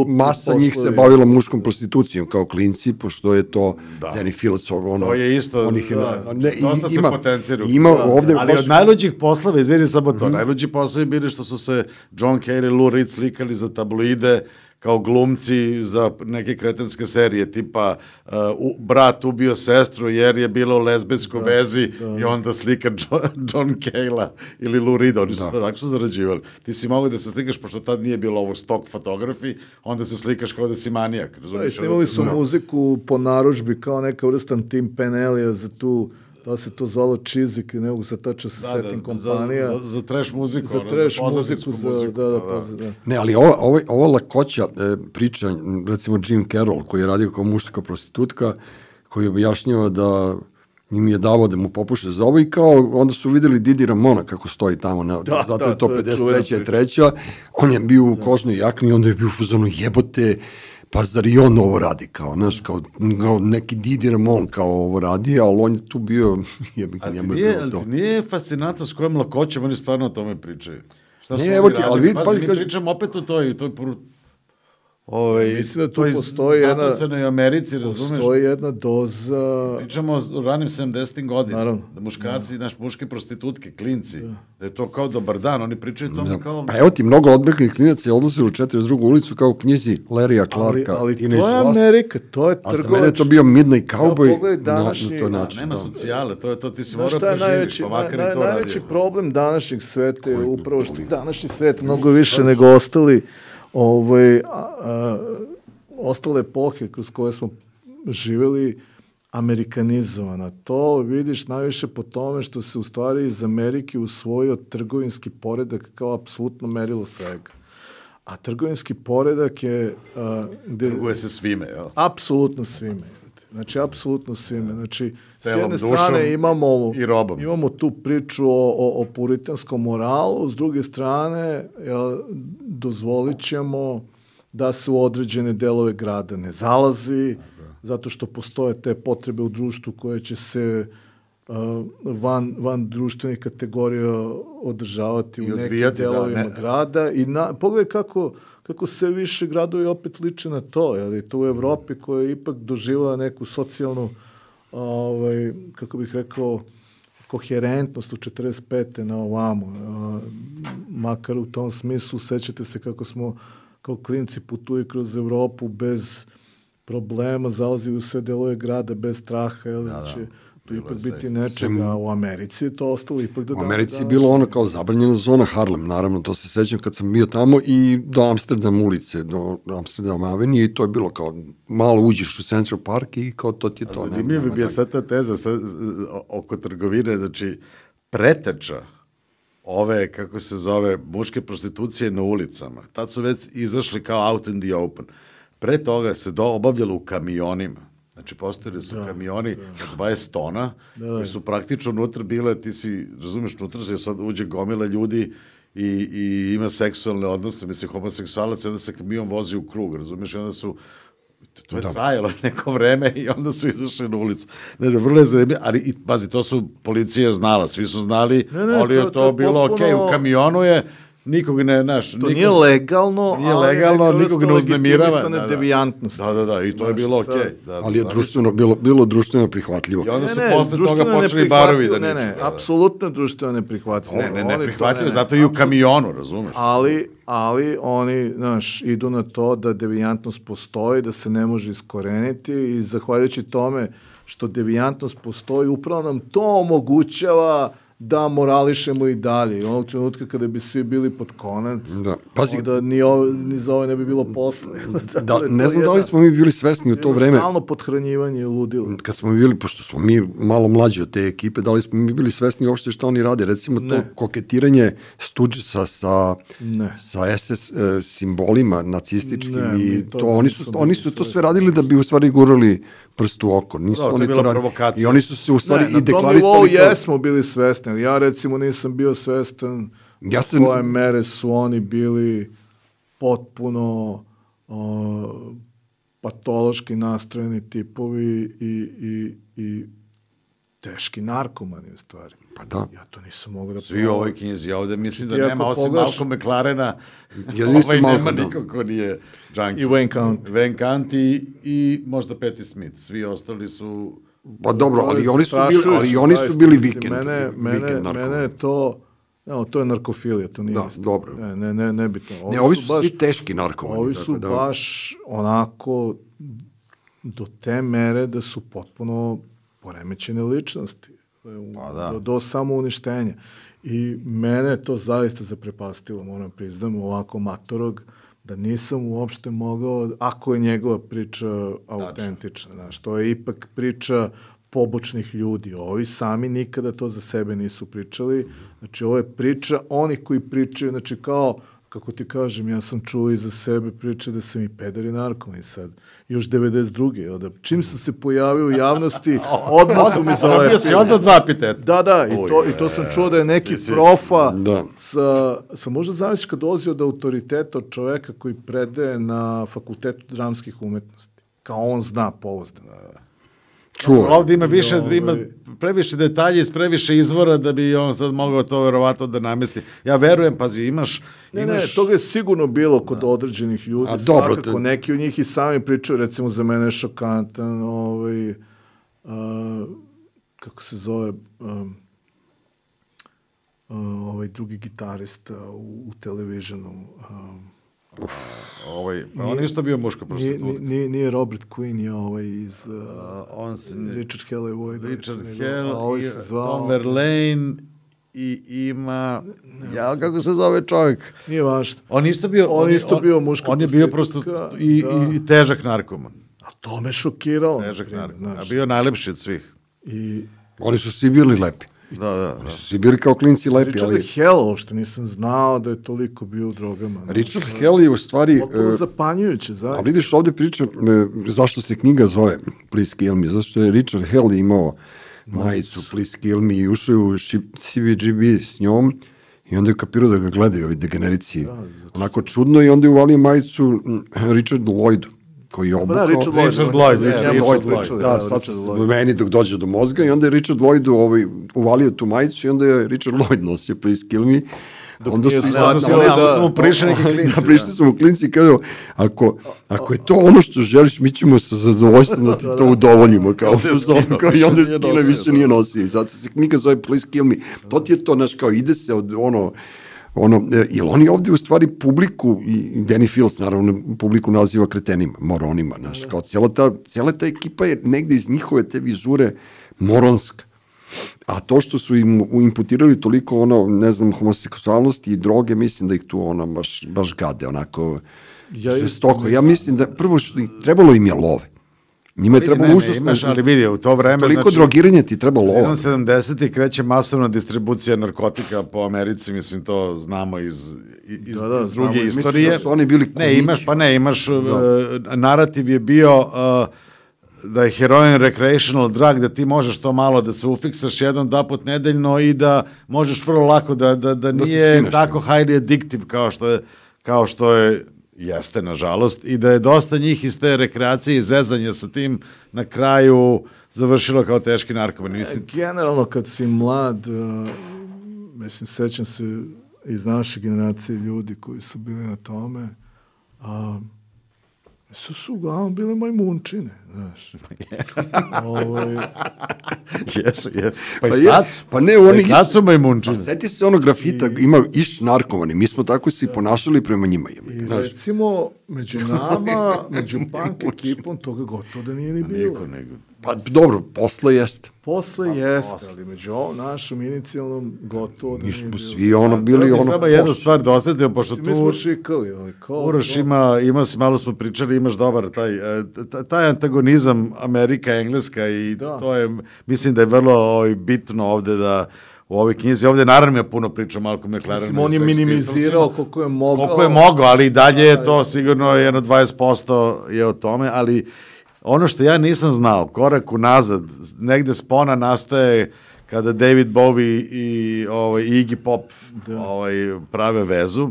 masa poslovi. Njih se bavila muškom prostitucijom kao klinci, pošto je to da. Danny Phillips, ono... To je isto, onih, da, ne, dosta se potenciraju. Ima da, ovde... Ali baš... od najluđih poslova, izvini samo to, mm-hmm. najluđi poslovi bili što su se John Cale i Lou Reed slikali za tabloide, kao glumci za neke kretenske serije, tipa uh, u, brat ubio sestru jer je bilo u lezbijskoj da, vezi da. I onda slika John, John Cale-a ili Lou Reed, oni su da. Tako su zarađivali. Ti si mogao da se slikaš, pošto tad nije bilo ovo stok fotografi, onda se slikaš kao da si manijak. Da, snimali su da. Muziku po narudžbi kao neka vrstan Tim Penelija za tu, da se to zvalo Chiswick, ne mogu se tačno se da, setim da, kompanija. Za, za, za trash muziku. Za ono, trash za muziku, za, muziku. Da, da, da, da. Ne, ali ova, ova, ova lakoća e, priča, recimo Jim Carroll, koji je radio kao muška prostitutka, koji objašnjava da im je davao da mu popuše za ovo i kao onda su videli Didi Ramona kako stoji tamo, na, da, zato da, je to pedeset treća i treća On je bio u kožnoj jakni i onda je bio u fazonu jebote, pa zar i on ovo radi, kao, znaš, kao, kao neki Didi Ramon kao ovo radi, ali on je tu bio, jebik, njemu je bilo to. Ali nije fascinantno s kojom lakoćem oni stvarno o tome pričaju. Šta ne, evo ti, ali vidi, pa, mi pričamo opet o toj, toj Ovaj, mislim da tu postoji jedna... i Americi, razumeš? Postoji jedna doza... Pričamo o ranim sedamdesetim godinama. Naravno. Da muškarci, da. Naš muške prostitutke, klinci, da. Da je to kao dobar dan, oni pričaju tome da. Kao... Pa evo ti, mnogo odbeglih klinaca je odnosilo u četrdeset drugu ulicu kao u knjizi Larrya Clarka. Ali, ali to je Amerika, to je trgovač. A za mene je to bio Midnight Cowboy ja, današnji, na, na to način. Da, nema socijale, to je to, ti si da, morao preživiš, pa makar naj, i to naj, radio. Najveći problem današnjeg sveta je upravo što današnji svet mnogo više nego ostali ovaj, a, a, ostale epohe kroz koje smo živjeli amerikanizovana. To vidiš najviše po tome što se u stvari iz Amerike usvojio trgovinski poredak kao apsolutno merilo svega. A trgovinski poredak je... A, gde, trguje se svime, jel? Apsolutno svime. Znači, apsolutno svime. Znači, telom, s jedne strane imamo, i robom. Imamo tu priču o, o, o puritanskom moralu, s druge strane jel, dozvolit ćemo da se u određene delove grada ne zalazi, zato što postoje te potrebe u društvu koje će se uh, van, van društvenih kategorija održavati I u nekim delovima da, ne. grada. I na, pogledaj kako, kako se više gradovi opet liče na to. Jel, to u Evropi koja je ipak doživjela neku socijalnu, ovaj, kako bih rekao, koherentnost u četrdeset pete na ovamo. Uh, makar u tom smislu, sećate se kako smo kao klinci putuju kroz Evropu bez problema, zalazili u sve delove grada bez straha, jel, da, će tu ipak biti se, nečega. Sem, u Americi je to ostalo ipak do U Americi je bilo ono kao zabranjena zona Harlem, naravno, to se sećam kad sam bio tamo i do Amsterdam ulice, do Amsterdam Avenije i to je bilo kao malo uđeš u Central Park i kao to ti je to. Zanimljivo bi je sad ta teza sad, oko trgovine, znači preteča ove, kako se zove, muške prostitucije na ulicama. Tad su već izašli kao out in the open. Pre toga se do obavljalo u kamionima. Znači, postojili su da, kamioni da. od dvadeset tona, da, koji su praktično unutra bile, ti si, razumeš, unutra se sad uđe gomila ljudi i, i ima seksualne odnose, mislim, homoseksualac, i onda se kamion vozi u krug, razumiješ, i onda su, to je da. trajalo neko vreme i onda su izašli na ulicu. Ne, ne, vrlo je zanimljivo, ali, i, pazi, to su policija znala, svi su znali, ne, ne, ali je to, to, to bilo okej, okay, u kamionu je, nikog ne, naš, to nikog, nije legalno, nije legalno, ali nikog ne uznemirava. Da, da. devijantnosti. Da, da, da, i to znaš, je bilo okej. Okay. Da, ali je društveno, bilo, bilo društveno prihvatljivo. I onda su ne, ne, posle toga počeli barovi da ne, ne, ne, apsolutno društveno neprihvatljivo. Ne, ne, neprihvatljivo, zato i u kamionu, razumeš? Ali, ali oni, znaš, idu na to da devijantnost postoji, da se ne može iskoreniti i zahvaljujući tome što devijantnost postoji, upravo nam to omogućava da morališemo i dalje. I onog trenutka kada bi svi bili pod konac, da. Pazi, onda ni, ovo, ni za ovo ne bi bilo posle. Da, ne znam da li smo mi bili svesni u to vreme. Stalno podhranjivanje i ludilo. Kad smo bili, pošto smo mi malo mlađi od te ekipe, da li smo mi bili svesni uopšte šta oni rade? Recimo ne. to koketiranje Stooges'a sa, sa es es e, simbolima nacističkim ne, i to, to oni su, oni su to sve radili da bi u stvari gurali prst u oko. Nisu da, oni to je bila provokacija. I oni su se u stvari ne, i deklarisali. Na tom nivou jesmo bili svesni. Ja recimo nisam bio svestan ja sam... koje mere su oni bili potpuno uh, patološki nastrojeni tipovi i, i, i teški narkomani u stvari. Pa da. Ja to nisam mogao da... Svi u ovoj knjizi, ovde mislim da ti nema, osim poglaš... Malcolm McLarena, ja ovaj nema Malcolm, nikog ko nije junkie. I Wayne County. Wayne County i, i možda Patti Smith. Svi ostali su... Pa dobro, ali oni su bili, ali oni su bili vikend. Mene, mene, mene je to... No, to je narkofilija, to nije da, isto. Dobro. Ne, ne, ne, nebitno. Ne, ovi su, su baš, svi teški narkomani. Ovi su da... baš onako do te mere da su potpuno poremećene ličnosti. Pa da. Do, do samouništenja. I mene je to zaista zaprepastilo, moram priznam, ovako matorog, da nisam uopšte mogao, ako je njegova priča autentična, znaš, to je ipak priča pobočnih ljudi. Ovi sami nikada to za sebe nisu pričali. Znači, ovo je priča onih koji pričaju, znači kao, kako ti kažem, ja sam čuo i za sebe priče da sam i pedar i narkoman sad. Još devedeset druge Da, čim sam se pojavio u javnosti, odmah su mi zalepili. Bio si odmah dva piteta. Da, da, i to, i to sam čuo da je neki profa da. sa, sa možda zamisliš kad dolazi od autoriteta od čoveka koji predaje na Fakultetu dramskih umetnosti. Kao on zna pouzdano. Čuo. Ovde ima više, ima previše detalje iz previše izvora da bi on sad mogao to verovatno da namesti. Ja verujem, pazi, imaš... Ne, imaš... ne, toga je sigurno bilo kod da. određenih ljudi. A dobro. Svakako, neki od njih i sami pričaju, recimo za mene je šokantan, ovaj, uh, kako se zove, um, uh, ovaj drugi gitarista u, u televizijonu, um, Uf, ovaj, pa on isto bio muška prostitutka. Nije, nije Robert Quinn, je ovaj iz uh, uh, on se, Richard Hellway. Richard Hell, ovaj i Tom Verlaine i ima... Ne, ja, kako se zove čovjek? Nije važno. On isto bio, on, on isto bio muška on je bio prosto i, da. i težak narkoman. A to me šokiralo. Težak narkoman. A bio najlepši od svih. I... Oni su svi bili lepi. Da, da, da. Svi bili kao klinci lepi. Richard ali... Hell, uopšte nisam znao da je toliko bio u drogama. Richard no, Hell je u stvari... Potpuno uh, zapanjujuće, zaista. A vidiš ovde priča, uh, zašto se knjiga zove Please Kill Me, zato što je Richard Hell imao majicu Please Kill Me i ušao u C V G B s njom i onda je kapirao da ga gledaju ovi degenerici. Da, onako čudno i onda je uvalio majicu Richard Lloydu koji je obukao. Da, Richard Lloyd. Richard Lloyd, ne, Richard Lloyd, Lloyd. Da, sad se meni dok dođe do mozga i onda je Richard Lloyd ovaj, uvalio tu majicu i onda je Richard Lloyd nosio Please Kill Me. Dok onda nije su shvatio da, da, da su mu prišli neki klinci. Da, prišli su mu klinci i kažu, ako, ako je to ono što želiš, mi ćemo sa zadovoljstvom da ti to udovoljimo. Kao, kao, I onda se skino više nije nosio. I zato se knjiga zove Please Kill Me. To ti je to, znaš, kao ide se od ono... ono, jer oni ovde u stvari publiku, i Danny Fields naravno publiku naziva kretenima, moronima, znaš, kao cijela ta, cijela ta ekipa je negde iz njihove te vizure moronska. A to što su im imputirali toliko ono, ne znam, homoseksualnosti i droge, mislim da ih tu ono baš, baš gade, onako ja žestoko. Ja mislim da prvo što trebalo im je love. Njima je trebalo užasno... Imaš, ali vidi, u to vreme... Toliko znači, drogiranja ti treba lova. sedamdesetih kreće masovna distribucija narkotika po Americi, mislim, to znamo iz, iz, da, da, iz druge znamo, istorije. Da su oni bili kumići. Ne, imaš, pa ne, imaš, da. uh, narativ je bio... Uh, da je heroin recreational drug, da ti možeš to malo da se ufiksaš jedan, dva put nedeljno i da možeš vrlo lako da, da, da nije da tako highly addictive kao što je, kao što je jeste, nažalost, i da je dosta njih iz te rekreacije i zezanja sa tim na kraju završilo kao teški narkomani. Mislim... Generalno, kad si mlad, uh, mislim, sećam se iz naše generacije ljudi koji su bili na tome, a su su uglavnom bile majmunčine, znaš. Ovaj... Jesu, jesu. Pa, Pa, i je, sad su. pa ne, Pa oni i sad su majmunčine. Pa seti se ono grafita, I- ima iš narkomani, mi smo tako se i ponašali prema njima. I Znaš, recimo, među nama, među punk ekipom, toga gotovo da nije ni bilo. Niko nego. pa dobro, posle jeste. Posle jeste, ali među ovom našom inicijalnom gotovo da Mi nije smo bilo. svi ono bili Bili ono... samo jednu poš- stvar da osvetimo, pošto Mi smo tu šikali, ali kao... Uroš ima, ima se, malo smo pričali, imaš dobar taj, e, t- taj antagonizam Amerika, Engleska i Da. to je, mislim da je vrlo ovaj, bitno ovde da u ovoj knjizi, ovde naravno ja puno pričam Malcolm McLaren. Mislim, on je minimizirao koliko je mogao. Koliko je mogao, ali i dalje je to sigurno jedno dvadeset posto je o tome, ali ono što ja nisam znao, korak unazad, negde spona nastaje kada David Bowie i ovaj, Iggy Pop Da. ovaj, prave vezu,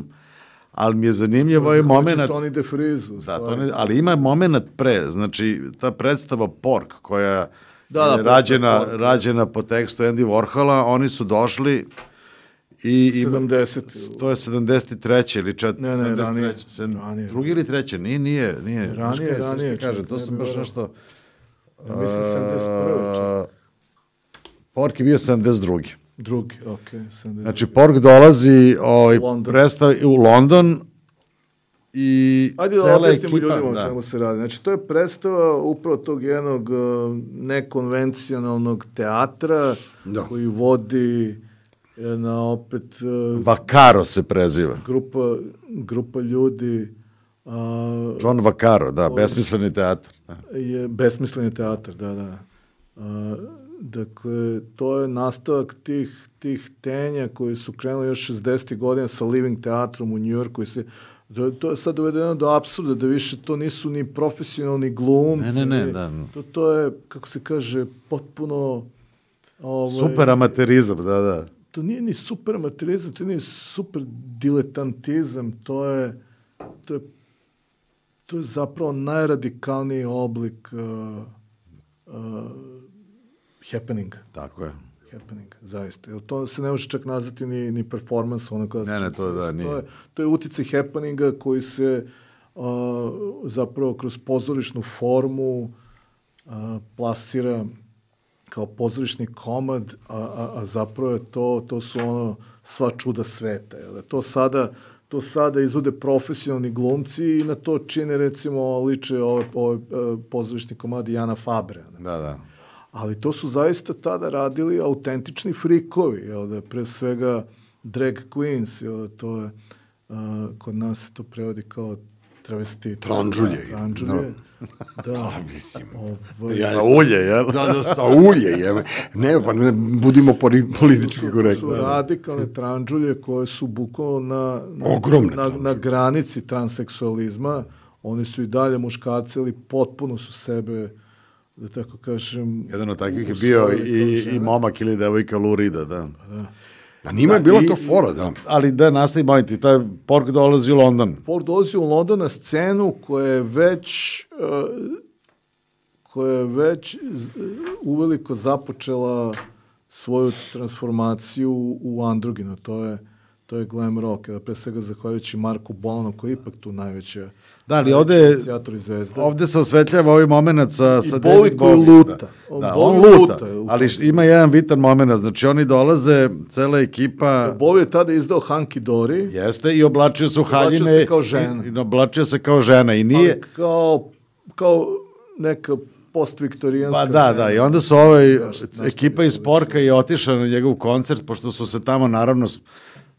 ali mi je zanimljiv ovaj moment... Tony DeFrizu. Da, to ne, ali ima moment pre, znači ta predstava Pork koja Da, da, je predstava rađena, Pork, da. rađena po tekstu Andy Warhola, oni su došli i ima- sedamdeset. to je sedamdeset treće ili čet, Ne, ne, sedamdeset treće, ranije. sedam- Ranije. drugi ili treće, nije, nije, nije. Znaš Ranije, kaj, sad što ranije, ti kažem, čak, to ne sam bi baš verovao. nešto... Ja mislim sedamdeset prve čak. Pork je bio sedamdeset drugi. Drugi, okej, sedamdeset. Znači, Pork dolazi ovaj, London. predstav, u London i Ajde da cela objasnimo ekipa... ljudima o da. čemu se radi. Znači, to je predstava upravo tog jednog uh, nekonvencionalnog teatra Da. koji vodi jedna opet uh, Vaccaro se preziva. grupa, grupa ljudi uh, John Vaccaro, da, besmisleni teatar. Da. je besmisleni teatar, da, da. A, dakle, to je nastavak tih, tih tenja koji su krenuli još šezdesetih godina sa Living teatrom u Njujorku i se to, to je sad dovedeno do apsurda, da više to nisu ni profesionalni glumci. Ne, ne, ne, ni- da. To, to je, kako se kaže, potpuno... Ovaj, Super amaterizam, da, da. to nije ni super amaterizam, to nije super diletantizam, to je, to je, to je zapravo najradikalniji oblik uh, uh, happeninga. Tako je. Happening, zaista. Jer to se ne može čak nazvati ni, ni performance, ono kada Ne, ne, to da, nije. To je, to je uticaj happeninga koji se uh, zapravo kroz pozorišnu formu uh, plasira kao pozorišni komad, a, a, a zapravo je to, to su ono sva čuda sveta. Jel? To sada to sada izvode profesionalni glumci i na to čine recimo liče ove, ove uh, pozorišni komadi Jana Fabre. Ne? Da, da. Ali to su zaista tada radili autentični frikovi, jel da, pre svega drag queens, jel da, to je, uh, kod nas se to prevodi kao travesti. Tranžulje. Tranžulje, da. A, mislim. Ovaj, Ja- Za ulje, jel? Da, da, sa ulje, jebe. Ne, pa ne, budimo poli- politički su, korektni. su radikalne tranžulje koje su bukvalno na, na, Ogromne na, tranžulje. na granici transseksualizma. Oni su i dalje muškarci, ali potpuno su sebe, da tako kažem... Jedan od takvih je bio usvojili kao i, žene. i momak ili devojka Lurida, da. Pa njima je bila I- to fora, da. Ali da, nastavi moment, i taj Pork dolazi u London. Ford dolazi u London na scenu koja je već uh, koja je već z- uveliko započela svoju transformaciju u androginu. To je to je glam rock, da pre svega zahvaljujući Marku Bolanu koji je ipak tu najveća Da, ali najveći ovde, inicijator i zvezda. ovde se osvetljava ovaj moment sa, sa I David Bowie koji Bowie, luta. Da, On da, Bowie on luta, luta, u ali tom. ima jedan bitan moment, znači oni dolaze, cela ekipa... Bowie je tada izdao Hunky Dory, Jeste, i oblačio se u Oblačio haljine. se kao žena. I, i oblačio se kao žena i nije... ali kao, kao neka postviktorijanska Pa da, žena. da, i onda su ovaj, Znaš- znaš ekipa šta iz bi Porka je otišla na njegov koncert, pošto su se tamo naravno, s-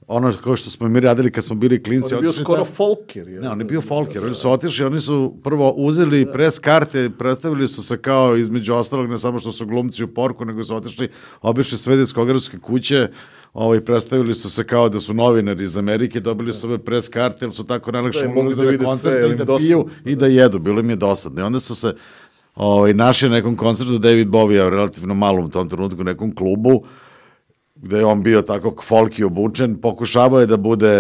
ono kao što smo mi radili kad smo bili klinci. On je bio otišli skoro tamo- folker. Je. Ne, on je bio folker, oni su otišli, oni su prvo uzeli pres karte, predstavili su se kao između ostalog, ne samo što su glumci u Porku, nego su otišli, obišli sve diskografske kuće, ovaj, predstavili su se kao da su novinari iz Amerike, dobili su ove pres karte, jer su tako najlakše Da, i mogli ulazili da na vide koncert sve, i im da dosadno. piju i da jedu, bilo im je dosadno. I onda su se ovaj, našao nekom koncertu David Bowie, relativno malom u tom trenutku, u nekom klubu, gde je on bio tako folki obučen, pokušavao je da bude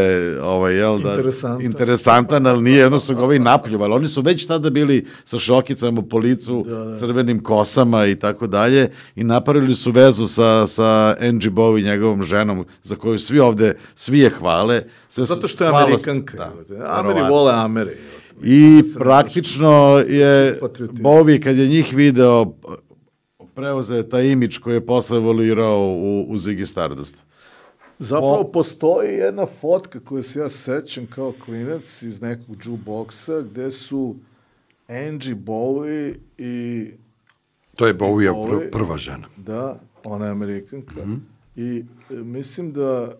ovaj, jel, da, interesantan. interesantan, ali nije, jedno su ga ovaj napljuvali. Oni su već tada bili sa šokicama po licu, da, da. crvenim kosama i tako dalje, i napravili su vezu sa, sa Angie Bowie, njegovom ženom, za koju svi ovde, svi je hvale. Sve Zato što je hvalo, Amerikanka. Da, Ameri vole Ameri. I praktično je Bowie, kad je njih video, preuzeo je taj imidž koji je posle evoluirao u, u Ziggy Stardust. Zapravo Bo... postoji jedna fotka koju se ja sećam kao klinac iz nekog jukeboxa, gde su Angie Bowie i... To je Bowie pr prva žena. Da, ona je Amerikanka. Mm-hmm. I e, mislim da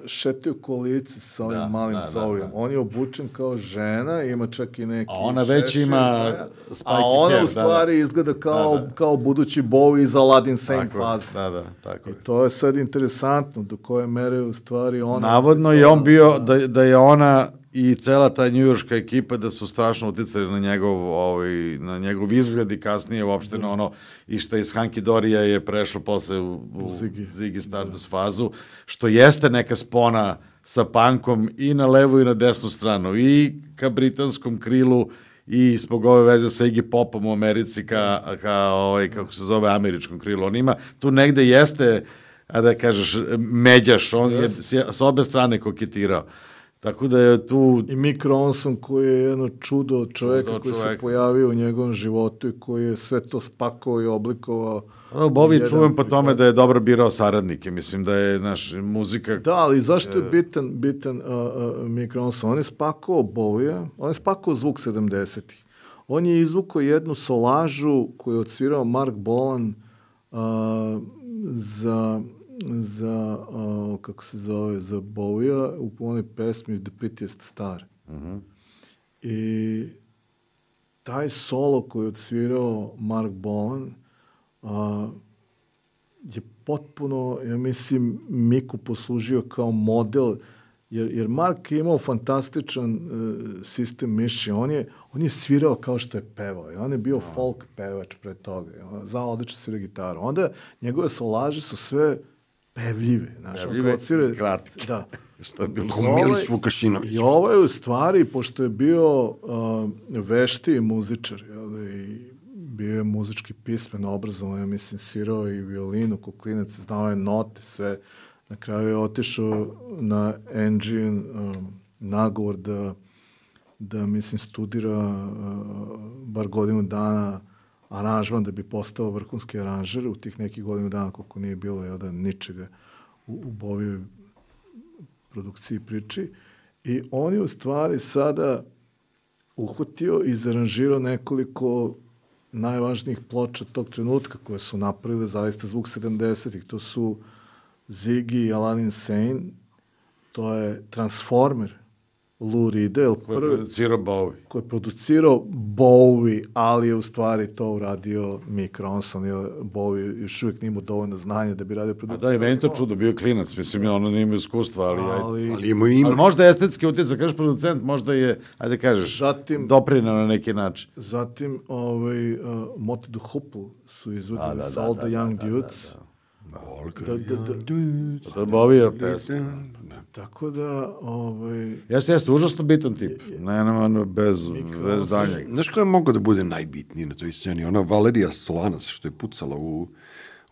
šetaju kolice sa ovim da, malim da, Zaurijom. Da, da. On je obučen kao žena, ima čak i neki... A ona već šešir, ima spiky hair. A ona hair, u stvari da, da. izgleda kao, da, da. kao budući Bowie iz Aladdin Sane faze. Da, da, tako. I to je sad interesantno, do koje mere u stvari ona... Navodno je on bio, da, da je ona i cela ta njujorška ekipa da su strašno uticali na njegov, ovaj, na njegov izgled i kasnije uopšte na ono i što iz Hunky Dorija je prešlo posle u, u Ziggy, Ziggy Stardust fazu, što jeste neka spona sa punkom i na levu i na desnu stranu, i ka britanskom krilu i zbog ove veze sa Iggy Popom u Americi ka, ka ovaj, kako se zove, američkom krilu. On ima, tu negde jeste, a da kažeš, međaš, on je s obe strane koketirao. Tako da je tu... I Mick Ronson koji je jedno čudo čoveka čudo koji čovek. se pojavio u njegovom životu i koji je sve to spakovao i oblikovao. Bowie čuvam po tome da je dobro birao saradnike. Mislim da je naš muzika... Da, ali zašto je bitan, bitan uh, uh, Mick Ronson? On je spakovao Bowie, on je spakovao zvuk sedamdesetih. On je izvukao jednu solažu koju je odsvirao Mark Bolan uh, za... za, uh, kako se zove, za Bowie-a u onoj pesmi The Prettiest Star. Uh-huh. I taj solo koji je odsvirao Mark Bolan uh, je potpuno, ja mislim, Miku poslužio kao model, jer, jer Mark je imao fantastičan uh, sistem mišljenja. On je, on je svirao kao što je pevao. On je bio uh-huh. folk pevač pre toga. On znao odlično svira gitaru. Onda njegove solaže su sve pevljive, znaš, pevljive, svire, kratke. Da. Što je bilo Milić Vukašinović. I ovo je u stvari, pošto je bio uh, vešti muzičar, jel, i bio je muzički pismen, obrazovan, ja mislim, svirao i violinu, kuklinac, znao je note, sve. Na kraju je otišao na Engine um, nagovor da, da, mislim, studira uh, bar godinu dana aranžman da bi postao vrhunski aranžer u tih nekih godinu dana koliko nije bilo, jel da, ničega u, u Bowie produkciji priči. I on je u stvari sada uhvatio i zaranžirao nekoliko najvažnijih ploča tog trenutka koje su napravile zaista zvuk sedamdesetih. To su Ziggy i Aladdin Sane, to je Transformer, Lou Reed, koji je producirao Bowie. Koji je producirao Bowie, ali je u stvari to uradio Mick Ronson, jer Bowie još uvijek nije imao dovoljno znanja da bi radio produkciju. A da, i meni to čudo, bio klinac, mislim, ono nije imao iskustva, ali... Ali, ali, ima ima. ali možda estetski utjecaj, kažeš producent, možda je, ajde kažeš, zatim, doprinao na neki način. Zatim, ovaj, uh, Mott the Hoople su izvedili sa All the Young da, Dudes. Da, da, da. Da, da, da. To je Bowie pesma. Tako da, ovaj... Jeste, jeste, užasno bitan tip. Ne, ne, bez, bez danjeg. Znaš ko je mogao da bude najbitniji na toj sceni? Ona Valerija Solanas, što je pucala u,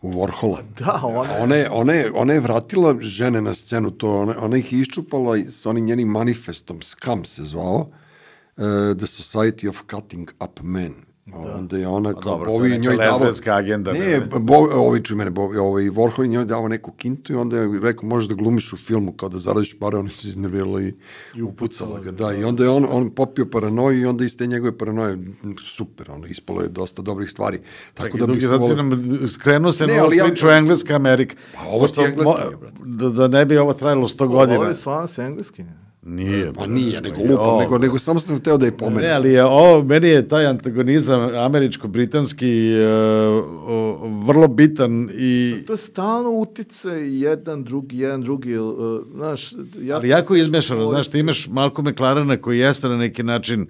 u Warhola. Da, ona... Ona je, ona, je, ona je vratila žene na scenu, to, ona, ona ih je iščupala s onim njenim manifestom, Scum se zvao, uh, The Society of Cutting Up Men. Da. Onda je ona kao Bowie njoj davo... Lesbenska agenda. Ne, Bowie, ovi ču mene, Bowie, ovaj, Warhol njoj davo neku kintu i onda je rekao, možeš da glumiš u filmu kao da zaradiš pare, ona se iznervirala i, i upucala ga. Da, i onda je on, on popio paranoju i onda iz te njegove paranoje, super, ono, ispalo je dosta dobrih stvari. Tako da bi se vole... nam skrenuo se ne, na ovu priču ja... Engleska Amerika. Pa ovo ti je engleski, da, da ne bi ovo trajalo sto godina. Ovo je stvarno se engleski, ne? Nije. Pa nije, nego lupam, nego, nego samo sam hteo da je pomenu. Ne, ali je ovo, meni je taj antagonizam američko-britanski uh, vrlo bitan i... To je stalno utice jedan, drugi, jedan, drugi, uh, znaš... Jako... Ali jako izmešano, znaš, ti imaš Malcolm McLarena koji jeste na neki način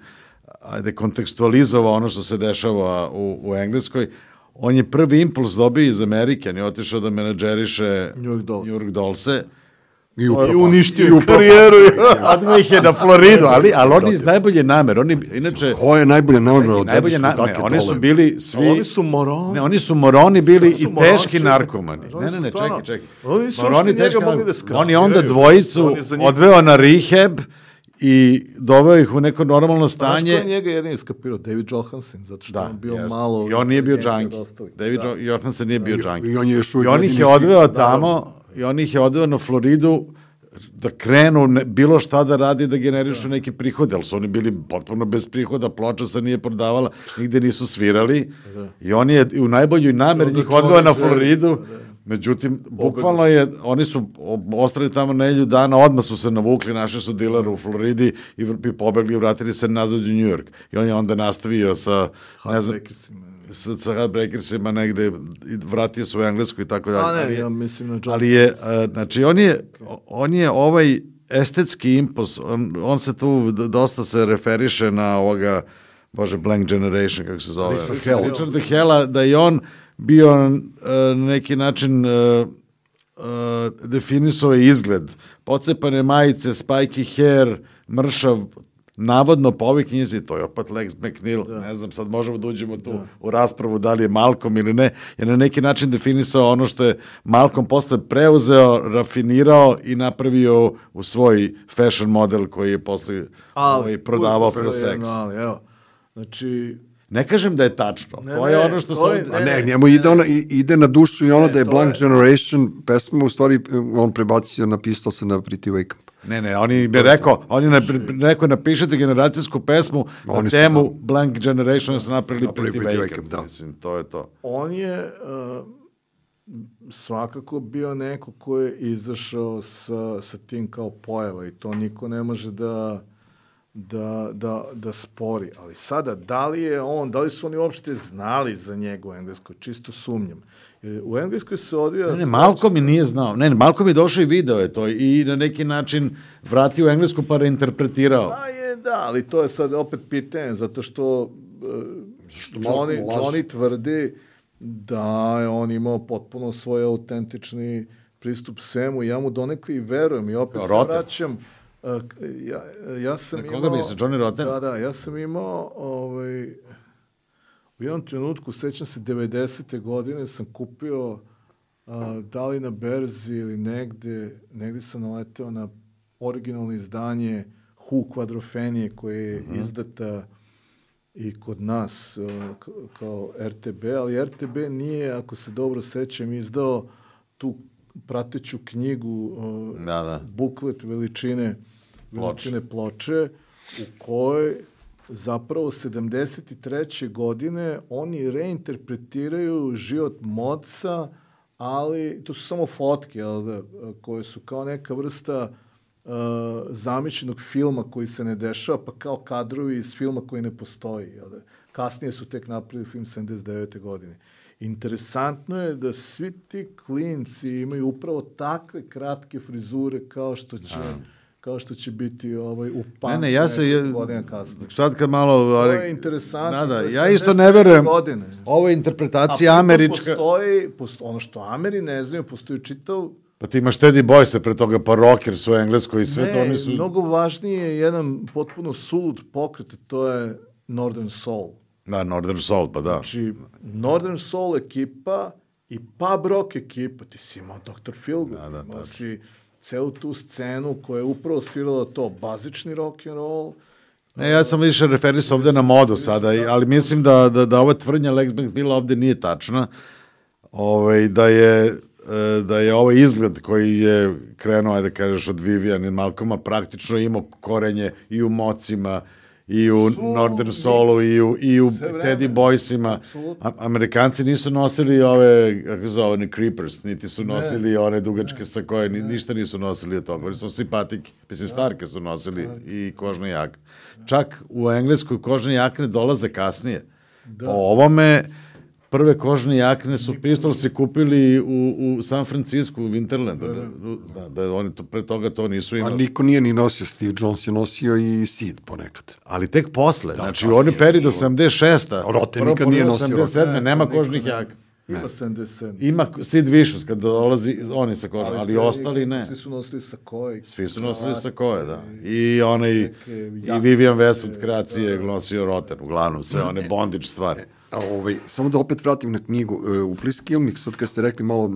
ajde, kontekstualizovao ono što se dešava u, u Engleskoj. On je prvi impuls dobio iz Amerike, on je otišao da menadžeriše New York Dolls. New York Dolls-e. I, I uništio karijeru. Odmah ih je na Floridu, ali, ali oni iz najbolje namere. Oni, inače, Ko je najbolje namere od najbolje na, ne, oni su bili svi... Oni su moroni. Ne, oni su moroni bili su i moroni, teški čekaj. narkomani. Oni Ne, ne, ne, su stvarno- čekaj, čekaj. Oni su Moroni, uopšte njega teški mogli narkomani. da skapiraju. On je onda dvojicu On je za njih- odveo na rehab i doveo ih u neko normalno Znaš ko stanje. je njega jedini skapirao? David Johansen, zato što Da, je on bio jeste. malo... I on nije bio neki od džanki. ostalih. David Da. Jo- Johansen nije bio džanki. I on je još uvijek I on ih jedini je odveo živ. tamo, i on ih je odveo na Floridu da krenu ne, bilo šta da radi, da generišu neki prihod, ali su oni bili potpuno bez prihoda, ploča se nije prodavala, nigde nisu svirali i on je u najboljoj nameri Onda njih odveo na čovjek želi, Floridu. Međutim, bukvalno je, oni su ostali tamo nedelju dana, odmah su se navukli, našli su dilera u Floridi i, i pobegli i vratili se nazad u New York. I on je onda nastavio sa, ne znam, Heartbreakersima. sa, sa Heartbreakersima negde, i vratio se u Englesku i tako dalje. A ne, Ali je- ja mislim na John. ali je, a, znači, on je, on je ovaj estetski impuls, on, on se tu d- dosta se referiše na ovoga, bože, Blank Generation, kako se zove. Richard Hell. Richard Hella, da je on bio uh, na neki način uh, uh, definisao je izgled. Pocepane majice, spiky hair, mršav, navodno po ovoj knjizi, to je opet Lex McNeil, ne znam, sad možemo da uđemo tu u raspravu da li je Malcolm ili ne, je na neki način definisao ono što je Malcolm posle preuzeo, rafinirao i napravio u svoj fashion model koji je posle ovaj, prodavao uvijek pro postoji seks. jedno ali, evo, znači, Ne kažem da je tačno, Ne, to je ne, ono što to se... je- A ne, njemu ide, ona, i- ide na dušu i ono Ne, da je to Blank je- Generation pesma, u stvari on prebacio, napisao se na Pretty Wake Up. Ne, ne, on je rekao, on je nap- rekao napišete generacijsku pesmu na Oni su, temu da. Blank Generation su napravili Napravili Pretty Pretty Wake Wake Up, Up, da. mislim, to je to. on je uh, svakako bio neko ko je izašao sa, sa tim kao pojava i to niko ne može da da, da, da spori. Ali sada, da li je on, da li su oni uopšte znali za njega u Engleskoj? Čisto sumnjam. Jer u Engleskoj se odvija... Ne, ne, Malcolm i nije znao. Ne, ne, Malcolm je došao i video je to i na neki način vratio u Englesku pa reinterpretirao. Pa je, da, ali to je sad opet pitanje, zato što, uh, Johnny, Malcolm laže. Johnny tvrdi da je on imao potpuno svoj autentični pristup svemu i ja mu donekli i verujem i opet Kao se Rotten. vraćam. uh, Ja, ja sam Na imao... koga misliš, Johnny Rotten? Da, da, ja sam imao ovaj, u jednom trenutku, sećam se devedesete godine, sam kupio a, da li na berzi ili negde, negde sam naleteo na originalno izdanje Who kvadrofenije koje je Mhm. izdata i kod nas a, k- kao R T B, ali R T B nije, ako se dobro sećam, izdao tu prateću knjigu, a, Da, da. buklet veličine veličine ploče, u kojoj zapravo sedamdeset treće godine oni reinterpretiraju život Modca, ali to su samo fotke, jel da, koje su kao neka vrsta uh, zamišljenog filma koji se ne dešava, pa kao kadrovi iz filma koji ne postoji. Jel da. Kasnije su tek napravili film sedamdeset devete godine. Interesantno je da svi ti klinci imaju upravo takve kratke frizure kao što će kao što će biti ovaj u Ne, pamtu ne, ja se... je- godina kasnije. Sad kad malo... To ali- je interesantno. Da, da, to je ja isto sedamdeset ne verujem. godine. Ovo je A interpretacija pritom američka... Postoji, posto, ono što Ameri ne znaju, postoji čitav... Pa ti imaš Teddy Boyse pre toga, pa Rockers u Engleskoj i sve to, oni su... mnogo važnije je jedan potpuno sulud pokret, to je Northern Soul. Da, Northern Soul, pa da. Znači, Northern Soul ekipa i pub rock ekipa, ti si imao doktor Feelgood, Da, da, imao tačno. si celu tu scenu koja je upravo svirala to, bazični rock and roll. Ne, ja sam više referisao ovde na modu sada, i- ali mislim da, da, da ova tvrdnja Lex McNeila ovde nije tačna. Ovaj, da je e, da je ovaj izgled koji je krenuo, ajde kažeš, od Vivian i Malcolma, praktično imao korenje i u Mocima, i u Su Northern mix. Soulu, i u, i u Sve vreme. Teddy Boysima. Apsolutno. A- Amerikanci nisu nosili ove, kako se zove, ni creepers, niti su nosili one dugačke sa koje, ni, ništa nisu nosili od toga. Oni su simpatiki. Mislim, starke su nosili i kožne jakne. Čak u Engleskoj kožne jakne dolaze kasnije. Po ovome, prve kožne jakne su Pistolsi kupili u, u San Francisco, u Winterlandu. Da, da, oni to, pre toga to nisu imali. A niko nije ni nosio, Steve Jones je nosio i Sid ponekad. Ali tek posle, znači oni peri do sedamdeset šeste. Rote nikad nije nosio. sedamdeset sedme nema kožnih jakna. Ima sedamdeset sedam. Ima Sid Vicious kad dolazi, oni sa kožom, ali, ali ostali ne. Svi su nosili sa koje. Svi su nosili sa koje, da. I onaj, i Vivian Westwood kreacije nosio Roten, uglavnom, sve one bondage stvari. A ovaj, samo da opet vratim na knjigu, u Pliskilnik, sad kad ste rekli malo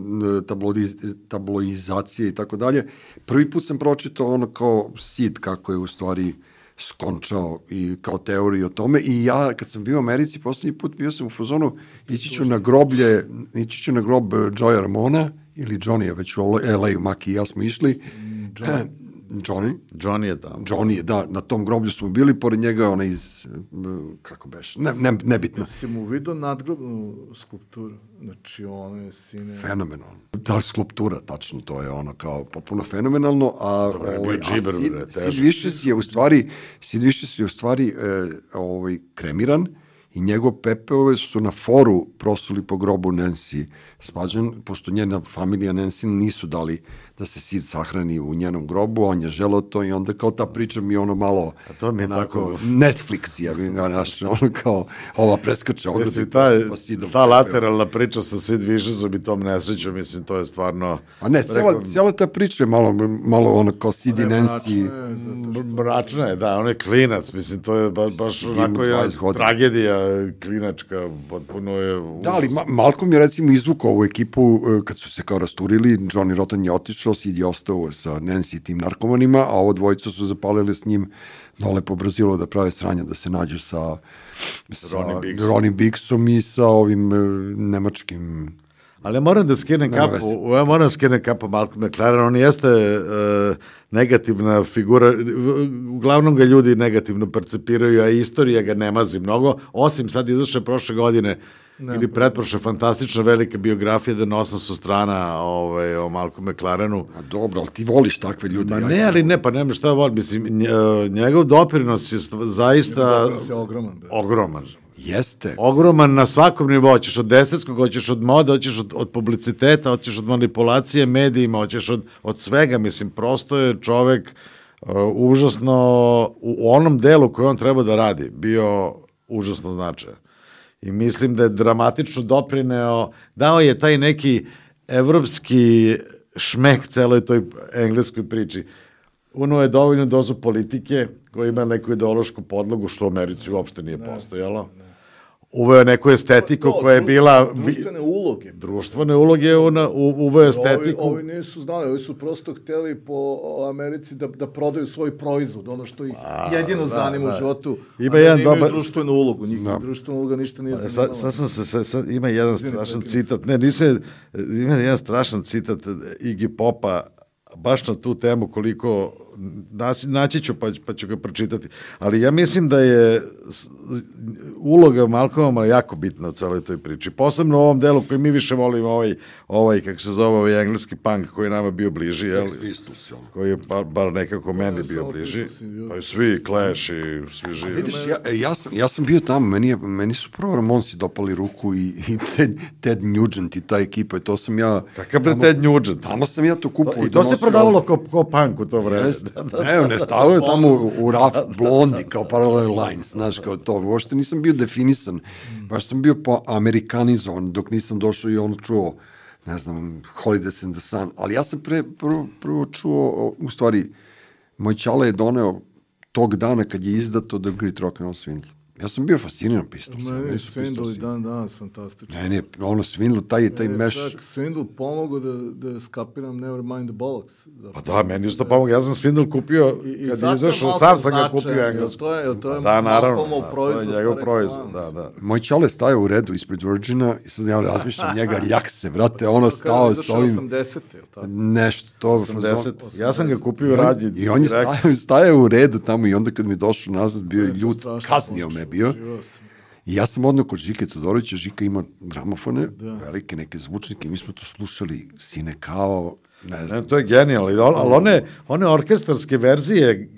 tabloiz, tabloizacije i tako dalje, prvi put sam pročitao ono kao Sid, kako je u stvari skončao i kao teoriju o tome, i ja kad sam bio u Americi poslednji put bio sam u fazonu, ići ću na groblje, ići ću na grob Joeya Ramona ili Johnny-a, već u L A-u, Maki i ja smo išli. Johnny. Johnny. Johnny je tamo. Johnny je, da, na tom groblju smo bili, pored njega ona iz, kako beš, ne, ne, nebitno. Si mu vidio nadgrobnu skulpturu? Znači, ono je sine... Fenomenalno. Ta skulptura, tačno, to je ono kao potpuno fenomenalno, a, Dobre, ovaj, bio džiber, a Sid, bre, Sid Vicious je u stvari, Sid Vicious je u stvari e, ovaj, kremiran, i njegov pepeo su na foru prosuli po grobu Nancy Spudgeon, pošto njena familija Nancy nisu dali da se Sid sahrani u njenom grobu, on je želeo to, i onda kao ta priča mi ono malo, a to mi je tako Netflix, ja bih ga naš, ono kao ova preskače. Jesi, ta, ta lateralna priča sa Sid Vicious'om i tom nesrećom, mislim, to je stvarno... A ne, cijela, rekao, cijela ta priča je malo, malo ono kao Sid i Nancy. Mračna je, da, on je klinac, mislim, to je ba, baš onako je tragedija klinačka, potpuno je... Užas. Da, ali Ma Malcolm je recimo izvukao ovu ekipu kad su se kao rasturili, Johnny Rotten je otišao, Sid je ostao sa Nancy i tim narkomanima, a ovo dvojica su zapalili s njim dole po Brazilu da prave sranja, da se nađu sa, sa Ronnie Biggsom i sa ovim nemačkim... Ali ja moram da skinem kapu, ja moram da skinem kapu Malcolm McLaren, on jeste uh, negativna figura, uglavnom ga ljudi negativno percepiraju, a istorija ga ne mazi mnogo, osim sad izašle prošle godine, ne, ili pretprošle, fantastična velika biografija da na osamsto strana ovaj, o Malcolm McLarenu. A dobro, ali ti voliš takve ljude. Ma ne, ali ne, pa nema šta volim, mislim, njegov doprinos je zaista... Njegov doprinos je ogroman. Ogroman. Jeste. Ogroman na svakom nivou, hoćeš od estetskog, hoćeš od mode, hoćeš od, od publiciteta, hoćeš od manipulacije medijima, hoćeš od, od svega, mislim, prosto je čovek uh, užasno, u onom delu koji on treba da radi, bio užasno značajan. I mislim da je dramatično doprineo, dao je taj neki evropski šmek celoj toj engleskoj priči. Uno je dovoljno dozu politike koja ima neku ideološku podlogu, što u Americi uopšte nije postojalo. Uveo neku estetiku koja je bila... Društvene uloge. Društvene uloge una, uveo estetiku. Ovi, ovi nisu znali, ovi su prosto hteli po Americi da, da prodaju svoj proizvod, ono što ih a, jedino da, zanima da. u životu, ima a jedan da imaju dobar... društvenu ulogu. Njihova no. društvena uloga ništa nije zanimala. Sad sam se, sad, sad ima jedan Izvini, strašan citat, ne, nisu, ima jedan strašan citat Iggy Popa, baš na tu temu koliko, naći ću pa, pa ću ga pročitati, ali ja mislim da je uloga Malcolma jako bitna u celoj toj priči, posebno u ovom delu koji mi više volimo, ovaj, ovaj kako se zove, ovaj engleski punk koji je nama bio bliži, jel? Koji je bar, bar nekako meni bio bliži, pa i svi Clash i svi živi. Vidiš, ja, ja, sam, ja sam bio tamo, meni, je, meni su prvo Ramonsi dopali ruku i, i Ted, Ted Nugent i ta ekipa, i to sam ja... Kakav bre Ted Nugent? Tamo sam ja to kupao. I to se prodavalo kao, kao punk u to vreme. Ne, ne, stavio je tamo u, u raf Blondi, kao Parallel Lines, znaš, kao to. Uopšte nisam bio definisan, baš sam bio po amerikanizovan, dok nisam došao i on čuo, ne znam, Holidays in the Sun, ali ja sam pre, prvo, prvo čuo, u stvari, moj čale je doneo tog dana kad je izdato The Great Rock and Roll Swindle. Ja sam bio fasciniran Pistolsima. Meni je Swindle i dan danas fantastično. Ne, ne, ono Swindle, taj, taj meš... Čak Swindle pomogao da, da skapiram Nevermind the Bollocks. Pa da, meni isto pomogao. Ja sam Swindle kupio, I, kad je izašao, sam sam ga kupio englesku. To je, to je da, naravno, da, proizvod, to je njegov proizvod. Da, da. Moj čale staje u redu ispred Virgina i sad ja razmišljam njega, jak se, brate, ono stao s ovim... osamdesete, tako? Nešto. osamdeset. Ja sam ga kupio radnji. I on je staje, staje u redu tamo i onda kad mi je došao nazad, bio je ljut, kaznio me bio. I ja sam odneo kod Žike Todorovića, Žika ima gramofone, da. velike neke zvučnike, mi smo to slušali, sine kao, ne znam. Ne, to je genijalno, ali one, one orkestarske verzije,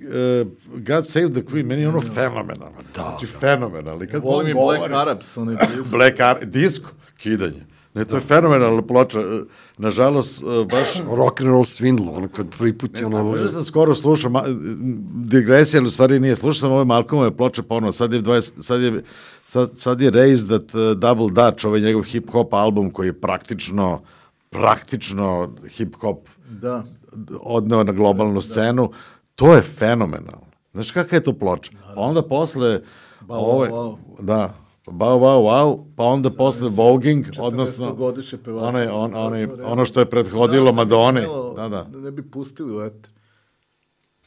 uh, God Save the Queen, meni je ono fenomenalno. Da, znači, da. fenomenalno. Ja volim i Black Arabs, onaj disk. Black Arabs, disko. kidanje. Ne, to je fenomenalna ploča. Nažalost, baš... Rock and roll swindle, ono kad prvi put je ono... Možda sam skoro slušao, digresija, ali u stvari nije, slušao sam ove Malcolmove ploče ponovno, sad je, dvadeset, sad je, sad, sad je Raised That Double Dutch, ovaj njegov hip-hop album koji je praktično, praktično hip-hop da. odneo na globalnu scenu, to je fenomenalno. Znaš kakva je to ploča? Pa onda posle... Bao, ove, wow. Da, Bao, wow, wow, pa onda posle Voguing, odnosno onaj, on, onaj, ono što je prethodilo Madoni. Da, da. Da ne bi pustili u eter.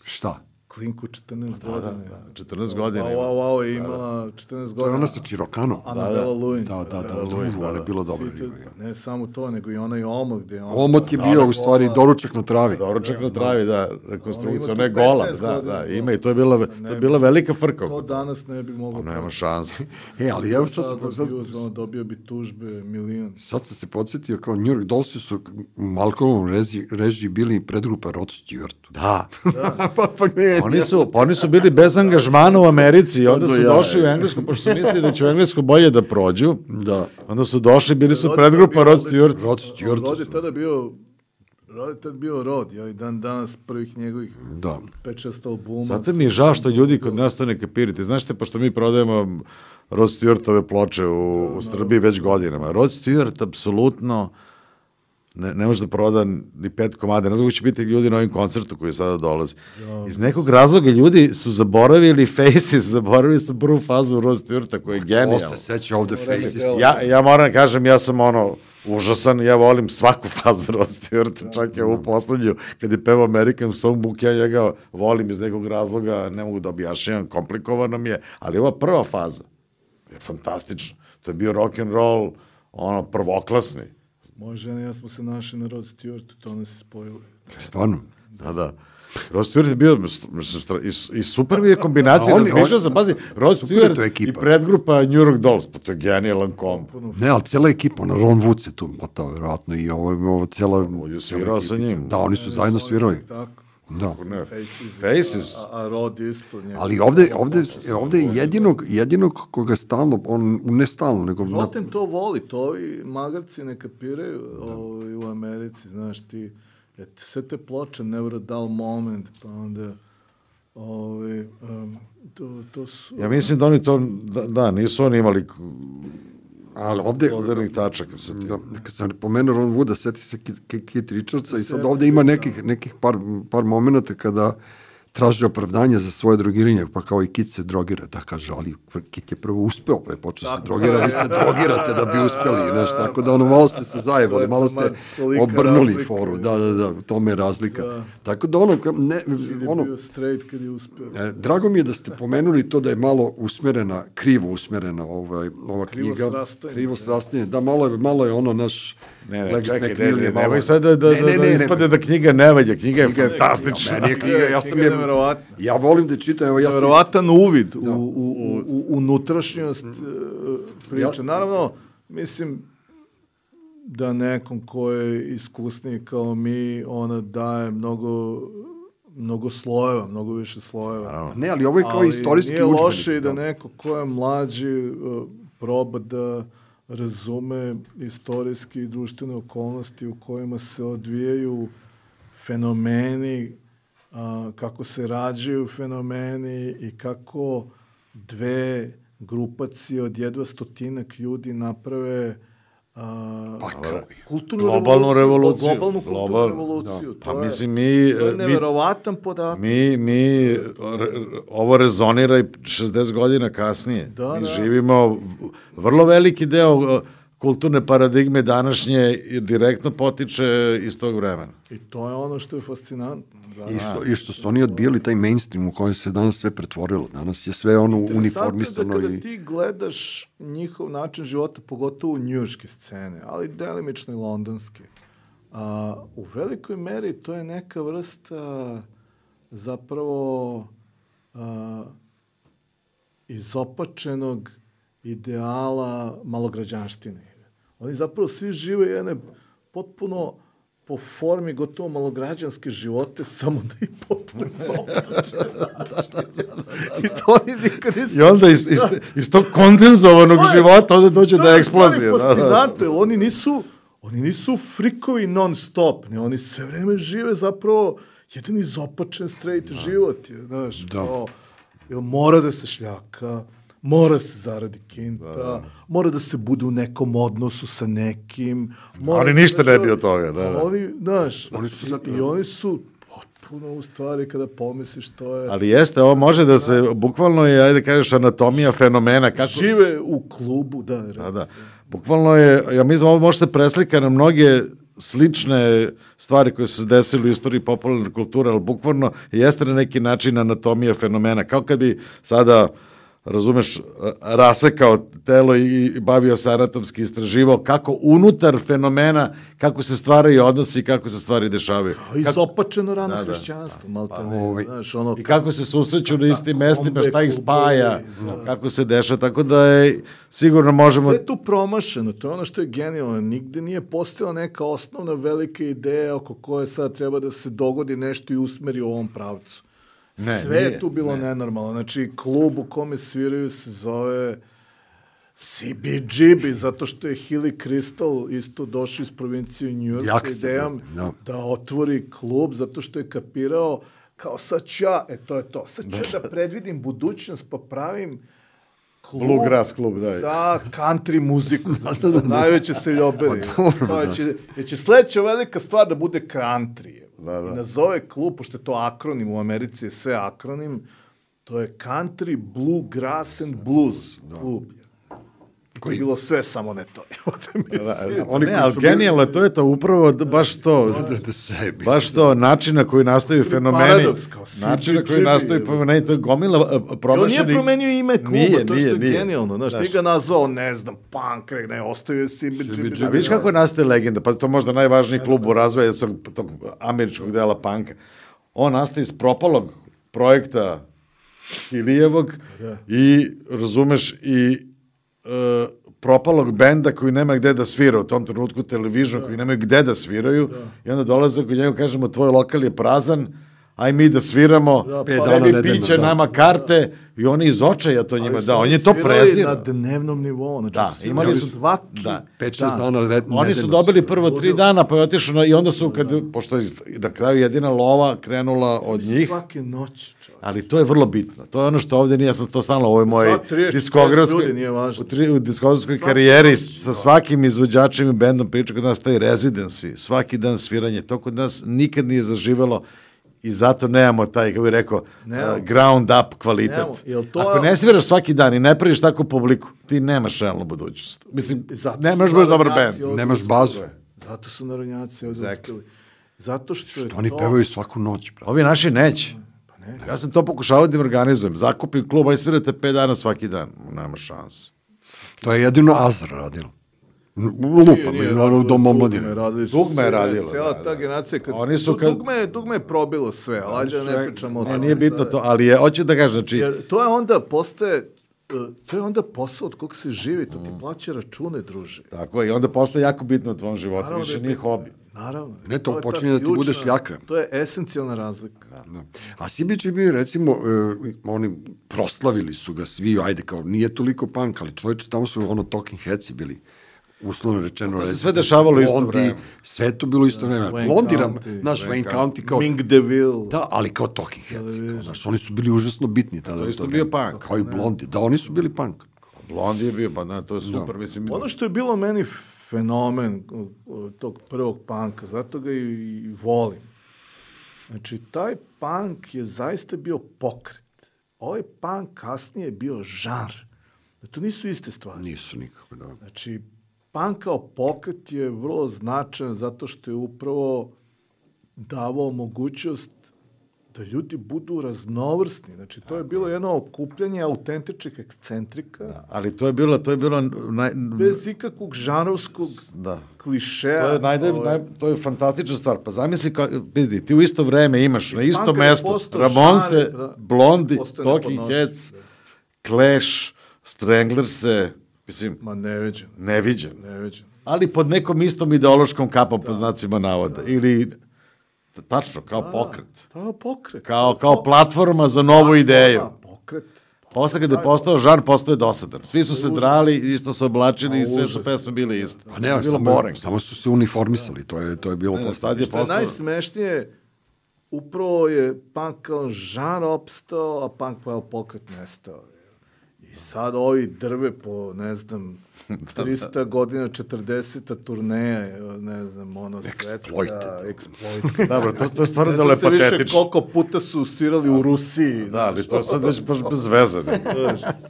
Šta? Klinku četrnaest godina. Da, da, četrnaest godina. Wow, wow, wow, je imala četrnaest godina. To je ona sa Čirokano. Anabela Luin. Da, da, da, drugo, ali je bilo dobro. Ne samo to, nego i onaj Omot gde je on... Omot je bio u stvari doručak na travi. Doručak na travi, da, rekonstrukcija, ne gola, da, da, ima i to je bila, to je bila velika frka. To danas ne bi moglo... Nema šanse. E, ali evo sad... sad dobio bi tužbe milion. Sad sam se podsjetio kao New York Dollsi su u Malcolmovom režiji bili predgrupa Rod Stewart. Da. pa, pa ne, oni su, pa oni su bili bez angažmana u Americi i onda su došli u Englesku, pošto su mislili da će u Englesku bolje da prođu. Da. Onda su došli, bili su predgrupa Rod Stewart. Rod Stewart. Rod je tada bio Rod je tada bio Rod, ja i dan danas prvih njegovih da. pet šest albuma. Zato mi je žao što ljudi kod nas to ne kapirite. Znaš te, pošto mi prodajemo Rod Stewartove ploče u, u Srbiji već godinama. Rod Stewart apsolutno ne, ne može da proda ni pet komada. Ne znam kako će biti ljudi na ovim koncertu koji sada dolazi. Iz nekog razloga ljudi su zaboravili Faces, zaboravili su prvu fazu Rod Stewarta koji je genijalno. Ko se seća ovde Faces? Ja, ja moram da kažem, ja sam ono užasan, ja volim svaku fazu Rod Stewarta, čak i ovu poslednju, kad je pevao American Songbook, ja njega volim iz nekog razloga, ne mogu da objašnjam, komplikovano mi je, ali ova prva faza je fantastična. To je bio rock and roll, ono, prvoklasni. Moja žena i ja smo se našli na Rod Stewartu, to nas je spojili. Stvarno? Da, da. Rod Stewart je bio, i, i super mi je kombinacija, razmišljao sam, pazi, Rod Stewart i predgrupa New York Dolls, pa to je genijalan komp. Ne, ali cijela ekipa, ono, Ron Wood se tu motao, vjerojatno, i ovo, ovo cijela... On je svirao sa njim. Da, oni su zajedno svirali. Da. Faces. A, a Rod isto. Ali ovde, ovde, ovde je jedinog, jedinog koga stalno, on ne stalno, nego... Roten to voli, to i magarci ne kapiraju o, u Americi, znaš ti, et, sve te ploče, Never a Dull Moment, pa onda... Ove, um, to, to su... Ja mislim da oni to, da, da nisu oni imali... Ali ovde... Modernih tačaka se ti. Da, kad sam pomenuo Ron Wooda, seti se Keith Richardsa i sad ovde ima nekih, nekih par, par momenta kada traže opravdanje za svoje drogiranje, pa kao i Keith se drogira, da kaže, ali Keith je prvo uspeo, pa je počeo se drogira, vi se drogirate da bi uspeli, znaš, tako da ono, malo ste se zajebali, malo ste obrnuli foru, da, da, da, to me je razlika. Da. Tako da ono, ne, ono... je bio straight kad je uspeo. E, drago mi je da ste pomenuli to da je malo usmerena, krivo usmerena ovaj, ova krivo knjiga. Srastanje. Krivo srastanje. Da, malo je, malo je ono naš... Ne, ne, čekaj, ne, ne, nemoj sad da, da, ne, ne, da ispade da knjiga ne valja, knjiga je fantastična. Meni je knjiga, ja sam je... Ja volim da čitam, evo ja sam... Neverovatan uvid u, u, u, u unutrašnjost priče. Naravno, mislim da nekom ko je iskusniji kao mi, ona daje mnogo mnogo slojeva, mnogo više slojeva. Ne, ali ovo je kao istorijski udžbenik. Nije loše i da neko ko je mlađi proba da razume istorijski i društvene okolnosti u kojima se odvijaju fenomeni, a, kako se rađaju fenomeni i kako dve grupacije od jedva stotinak ljudi naprave a, pa, kulturnu globalnu revoluciju. Globalnu kulturnu Global, revoluciju. Da. Pa mislim, mi... To je neverovatan podatak. Mi, mi, re, ovo rezonira i šezdeset godina kasnije. Da, mi da. živimo, vrlo veliki deo kulturne paradigme današnje direktno potiče iz tog vremena. I to je ono što je fascinantno. I što, I što su oni odbijali taj mainstream u kojem se danas sve pretvorilo. Danas je sve ono uniformisano. Da kada i... ti gledaš njihov način života, pogotovo njujorške scene, ali delimično i londonske, a, u velikoj meri to je neka vrsta zapravo a, izopačenog ideala malograđanštine. Oni zapravo svi žive jedne potpuno po formi gotovo malograđanske živote, samo da ih potpuno zaobraće. I to oni nikad nisu... I onda iz, iz, iz tog kondenzovanog je, života onda dođe do eksplozije. To je fascinantno, oni nisu, oni nisu frikovi non stop, ne, oni sve vreme žive zapravo jedan izopačen straight da. život. Je, znaš, da. Kao, jel mora da se šljaka, mora se zaradi kinta, da. mora da se bude u nekom odnosu sa nekim. Oni ništa ne bi od toga. Da, da. Oni, znaš, oni su i, i oni su potpuno u stvari kada pomisliš to je... Ali jeste, ovo može da se, bukvalno je, ajde kažeš, anatomija fenomena. Kako... Žive u klubu, da. Da, da. Bukvalno je, ja mislim, ovo može se preslika na mnoge slične stvari koje su se desili u istoriji popularne kulture, ali bukvalno jeste na neki način anatomija fenomena. Kao kad bi sada, razumeš, rasekao telo i bavio se anatomski, istraživao kako unutar fenomena, kako se stvaraju odnosi i kako se stvari dešavaju. Izopačeno rano da, hrišćanstvo, da. Malta ne, ovaj, znaš, ono... I kako se susreću na istim mestima, šta ih spaja, da. kako se deša, tako da je, sigurno možemo... Sve je tu promašeno, to je ono što je genijalno, nigde nije postojala neka osnovna velika ideja oko koje sad treba da se dogodi nešto i usmeri u ovom pravcu. Ne, sve nije, je tu bilo ne. nenormalno. Znači, klub u kome sviraju se zove C B G B, zato što je Hilly Crystal isto došao iz provincije New York sa idejom no. da otvori klub, zato što je kapirao kao sad ću ja, e to je to, sad ću ja da predvidim budućnost pa pravim klub, Bluegrass klub, da. za country muziku, za najveće seljobere. Pa, će, će sledeća velika stvar da bude country. Da, da. I nazove klub, pošto je to akronim, u Americi je sve akronim, to je Country Bluegrass and Blues da. klub. Koji je bilo sve samo ne to. da, da, oni ne, ali genijalno, to je to, upravo baš to, baš to, način na koji nastaju fenomeni, paradoks, način na koji nastaju fenomeni, to je gomila promašenih... On nije promenio ime kluba, nije, to što je nije. genijalno, znaš, ti ga nazvao, ne znam, punk, ne, ostavio si... A vidiš kako nastaje legenda, pa to možda najvažniji klub u razvoju tog američkog dela punka. On nastaje iz propalog projekta Hilijevog i, razumeš, i Uh, propalog benda koji nema gde da svira u tom trenutku, Television da. koji nemaju gde da sviraju da. i onda dolaze kod njega, kažemo, tvoj lokal je prazan, aj mi da sviramo, da, pa, tebi piće, da. nama karte i oni iz očaja to njima da, on je to prezirao. Na dnevnom nivou, znači da, imali su svaki da. pet šest dana red, oni su dobili prvo tri dana, pa je otišao i onda su, kad, pošto je na kraju jedina lova krenula od njih. Svake noći. Ali to je vrlo bitno. To je ono što ovde nije, ja sam to stalno u ovoj mojoj diskografskoj, u, u diskografskoj karijeri sa svakim izvođačem i bendom priča kod nas taj residency, svaki dan sviranje, to kod nas nikad nije zaživelo i zato nemamo taj, kako bih rekao, uh, ground up kvalitet. To... Ako ne sviraš svaki dan i ne praviš takvu publiku, ti nemaš realnu budućnost. Mislim, nemaš baš dobar bend. Nemaš bazu. Zato su narodnjaci ovdje uspjeli. Zato što, što je oni to... pevaju svaku noć. Brate. Ovi naši neće. Ne, ja sam to pokušavao da im organizujem. Zakupim klub, a svirate pet dana svaki dan. Nema šanse. To je jedino Azra radilo. Lupam, je ono dom omladine. Dugme je radilo. Cijela ta generacija, kad oni su, kad... dugme, dugme je probilo sve, ali ajde ne pričamo o tome. Nije bitno to, ali je, hoću da kažem, znači... Jer to je onda postaje, to je onda posao od kog se živi, to ti plaća račune, druže. Tako je, i onda postaje jako bitno u tvom životu, naravno više nije hobi. Naravno. Ne, to, to počinje da ti ključna, budeš jaka. To je esencijalna razlika. Da. Da. A C B G B, recimo, uh, oni proslavili su ga svi, ajde, kao, nije toliko punk, ali čovječe, tamo su ono Talking Headsi bili, uslovno rečeno. To se sve dešavalo isto vreme. Sve to bilo isto vreme. Blondiram, naš Wayne County kao... Mink DeVille. Da, ali kao Talking Headsi. Znaš, oni su bili užasno bitni tada. To isto bio punk. Kao i Blondi. Da, oni su bili punk. Blondi je bio, pa da, to je super. Mislim, ono što je bilo meni fenomen tog prvog punka, zato ga i, i volim. Znači, taj punk je zaista bio pokret. Ovaj punk kasnije je bio žanr. To nisu iste stvari. Nisu nikako, da. Znači, punk kao pokret je vrlo značajan zato što je upravo davao mogućnost da ljudi budu raznovrsni. Znači, to je bilo jedno okupljanje autentičnih ekscentrika. Da, ali to je bilo... To je bilo naj... bez ikakvog žanrovskog da. klišeja. To je, najde, ovaj... naj, to je fantastična stvar. Pa zamisli, ka, vidi, ti u isto vreme imaš I na isto mesto Ramonse, da, Blondi, Talking Heads, da. Clash, Stranglers, mislim... Ma neviđen. Neviđen. Neviđen. ali pod nekom istom ideološkom kapom, po znacima navoda. Ili, tačno, kao pokret. Da, pokret. Kao, kao platforma za novu ideju. Da, pokret. Posle kada je postao žar, postao je dosadan. Svi su se drali, isto se oblačili i sve su pesme bile iste. A ne, bilo samo, samo su se uniformisali, to je, to je bilo postao. Što je postao... najsmešnije, upravo je punk kao žar opstao, a punk kao pokret nestao. I sad ovi drve po, ne znam, trista godina, četrdeseta turneja, ne znam, ono, svetska, exploited. Dobro, to, to je stvarno dole patetično. Ne znam se više koliko puta su svirali u Rusiji. Da, ali to je sad već baš bez veze.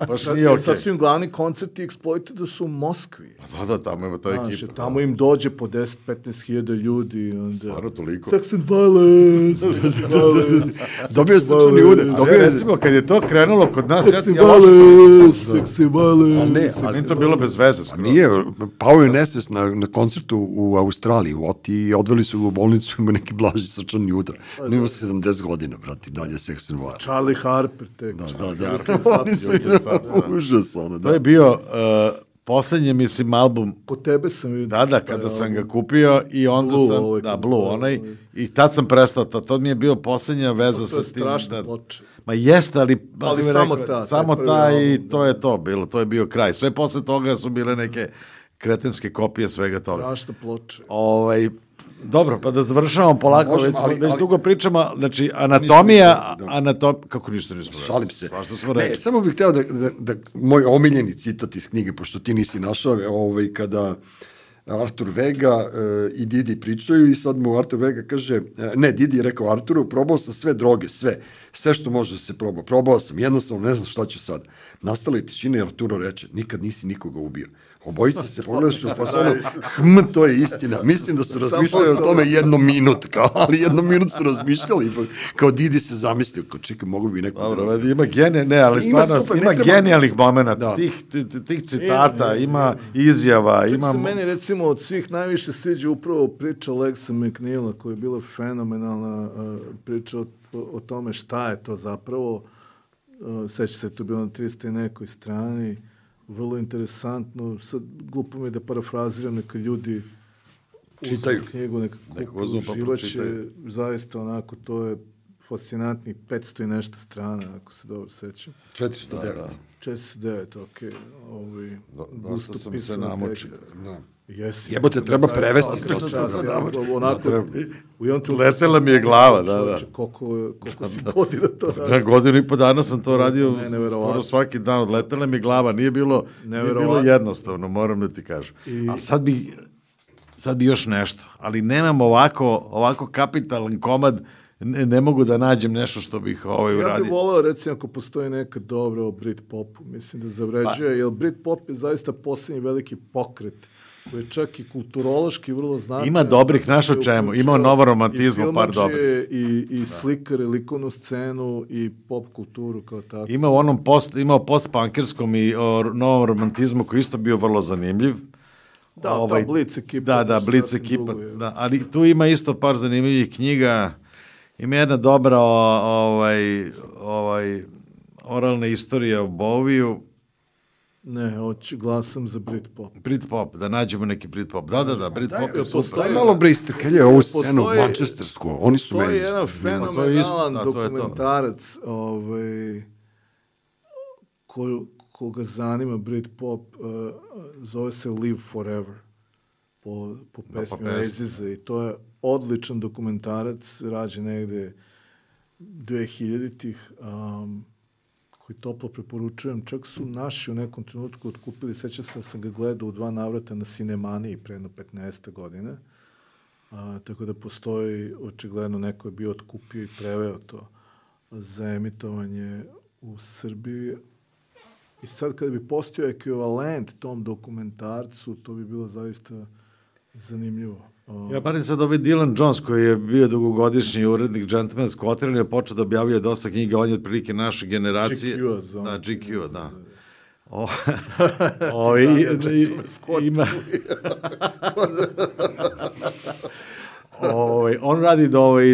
Baš nije okej. Sad su im glavni koncerti Exploited su u Moskvi. Da, da, tamo ima ta ekipa. Tamo im dođe po deset do petnaest hiljada ljudi. Stvarno toliko. Sex and violence. Dobio se čuni ude. Recimo, kad je to krenulo kod nas, Sex and violence. Sex and violence. Ne, ali to bilo bez veze. Nije, pao je nesvest na, na koncertu u Australiji, u Oti, i odveli su u bolnicu, ima neki blaži srčani udar. Nima se sedamdeset godina, brati, dalje Sex and Violence. Charlie Harper, tek. Da, da, da. Oni su užas, ono, da. To je bio uh, poslednji, mislim, album. Kod tebe sam vidio. Da, da, kada sam ga kupio i onda sam, da, Blue, onaj, i tad sam prestao, to, to mi je bio poslednja veza sa tim. To je strašno ploče. Ma jeste, ali, ali samo ta. Samo ta i to je to bilo, to je bio kraj. Sve posle toga su bile neke kretenske kopije svega toga. Strašno ploče. Ovaj, dobro, pa da završavamo polako, Možemo, već, ali, već ali, dugo pričamo, znači, anatomija, anatom, kako ništa nismo rekli? Šalim se. Smo ne, samo bih hteo da, da, da, moj omiljeni citat iz knjige, pošto ti nisi našao, ovaj, kada Artur Vega uh, i Didi pričaju i sad mu Artur Vega kaže, uh, ne, Didi je rekao Arturu, probao sam sve droge, sve, sve što može da se proba, probao sam, jednostavno ne znam šta ću sad. Nastala je tišina i Arturo reče, nikad nisi nikoga ubio. Obojica se pogledaš u fasonu, hm, to je istina. Mislim da su razmišljali o tome jedno minut, kao, ali jedno minut su razmišljali, kao Didi se zamislio, kao čekaj, mogu bi neko... Dobro, da... ima genije, ne, ali ima stvarno, super, ima treba... genijalnih momenta, da. tih, tih, tih citata, e, ima izjava, čak ima... se meni, recimo, od svih najviše sviđa upravo priča Alexa McNeila, koja je bila fenomenalna uh, priča o, o tome šta je to zapravo. Uh, seća se, to bilo na trista i nekoj strani, vrlo interesantno, sad glupo mi je da parafraziram, neka ljudi čitaju knjigu, neka kupu, uživaće, zaista onako, to je fascinantnih petsto i nešto strana, ako se dobro sećam. četiristo devet. Da, da. četiristo devet, okej. Okay. Ovi, dosta sam se namočio. Da. Jesi. Jebote, treba prevesti. Onako, letela mi je glava, da, da. Koliko, koliko si godina to radio? Na godinu i po dana sam to radio skoro svaki dan, odletela mi je glava, nije bilo, nije bilo jednostavno, moram da ti kažem. I... Ali sad bi, sad bi još nešto, ali nemam ovako, ovako kapitalan komad, ne, ne mogu da nađem nešto što bih ovaj uradio. Ja bih voleo, recimo, ako postoji neka dobra o Britpopu, mislim da zavređuje, pa. Jer Britpop je zaista posljednji veliki pokret koji je čak i kulturološki vrlo značajan. Ima dobrih, znaš o čemu, ima novoromantizmu, par dobrih. I, i slikare, likovnu scenu i pop kulturu kao tako. Ima u onom post, ima o post-punkerskom i o novom romantizmu koji isto bio vrlo zanimljiv. Da, ovaj, ta Blitz ekipa. Da, da, Blitz ekipa, da, ali tu ima isto par zanimljivih knjiga. Ima jedna dobra ovaj, ovaj, oralna istorija o Boviju. Ne, hoću, glasam za Britpop. Britpop, da nađemo neki Britpop. Da, da, da, Britpop je super. Daj malo Briste, kad je ovu scenu mančestersku, oni su meni... To je jedan fenomenalan dokumentarac, ovaj, ko, koga zanima Britpop, uh, zove se Live Forever, po, po pesmi Oaziza, i to je odličan dokumentarac, rađen negde dve hiljaditih, um, koji toplo preporučujem. Čak su naši u nekom trenutku otkupili, sećam se da sam ga gledao u dva navrata na Cinemaniji pre jedno petnaest godina. A, tako da postoji, očigledno, neko je bio otkupio i preveo to za emitovanje u Srbiji. I sad kada bi postojao ekvivalent tom dokumentarcu, to bi bilo zaista zanimljivo. Ja parim sad ovaj Dylan Jones, koji je bio dugogodišnji urednik Gentleman's Quatrain, je počeo da objavljuje dosta knjiga, on je otprilike naše generacije. G Q-a, znam. Da, G Q-a, da. O, o, i, i, ima... ovaj, on radi da ovaj,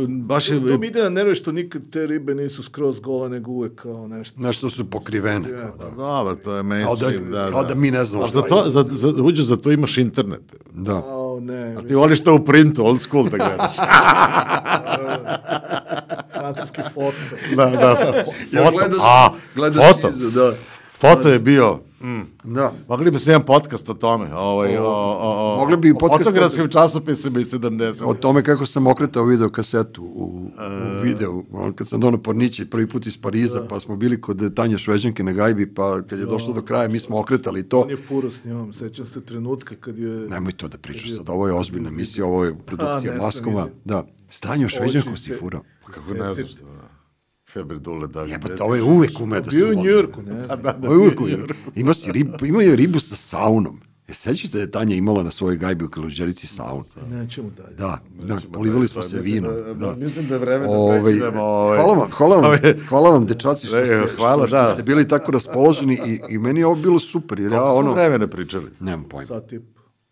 baš je... To mi ide na nerve što nikad te ribe nisu skroz gole, nego uvek kao nešto. Nešto su pokrivene. Kao, da. Dobro, to je Kao mainstream, da, da, kao da. da mi ne znamo Ali za to, za, za, uđe, za to imaš internet. Da. O, ne. A ti voliš to u printu, old school da gledaš. Francuski foto. Da, da, foto. Ja gledaš, A, gledaš foto. izu, da. Foto je bio... Mm. Da. Mogli bi se jedan podcast o tome, ovaj, o, o, o, Mogli bi o podcast fotografskim časopisima iz sedamdesetih. O tome kako sam okretao video kasetu u, u videu, on, kad sam donao Porniće prvi put iz Pariza, pa smo bili kod Tanje Šveđanke na gajbi, pa kad je došlo do kraja, mi smo okretali to. On je furo s njom, sećam se trenutka kad je... Nemoj to da pričaš sad, ovo je ozbiljna emisija, ovo je produkcija A, ne, Maskoma. nisam. Da, s Tanjom Šveđankom Oči si se- furao. Kako ne znaš to? Feber Dule, da. Jebate, ovo je uvek ume da se Bio u voli. Njujorku, ne znam. Ovo je uvek ume. Imao si ribu, imao je ribu sa saunom. Je sećaš da je Tanja imala na svojoj gajbi u Kaluđerici saun? Nećemo dalje. Da, da, polivali smo se vinom. Da. Mislim da je vreme da Ovaj, prekidemo. Ovaj. hvala vam, hvala vam, Ovaj. hvala vam dečaci što E, ste, hvala, što, da. što ste bili tako raspoloženi i, i meni je ovo bilo super, jer ja Koliko smo ono... vremena pričali? Nemam pojma. Sad tip.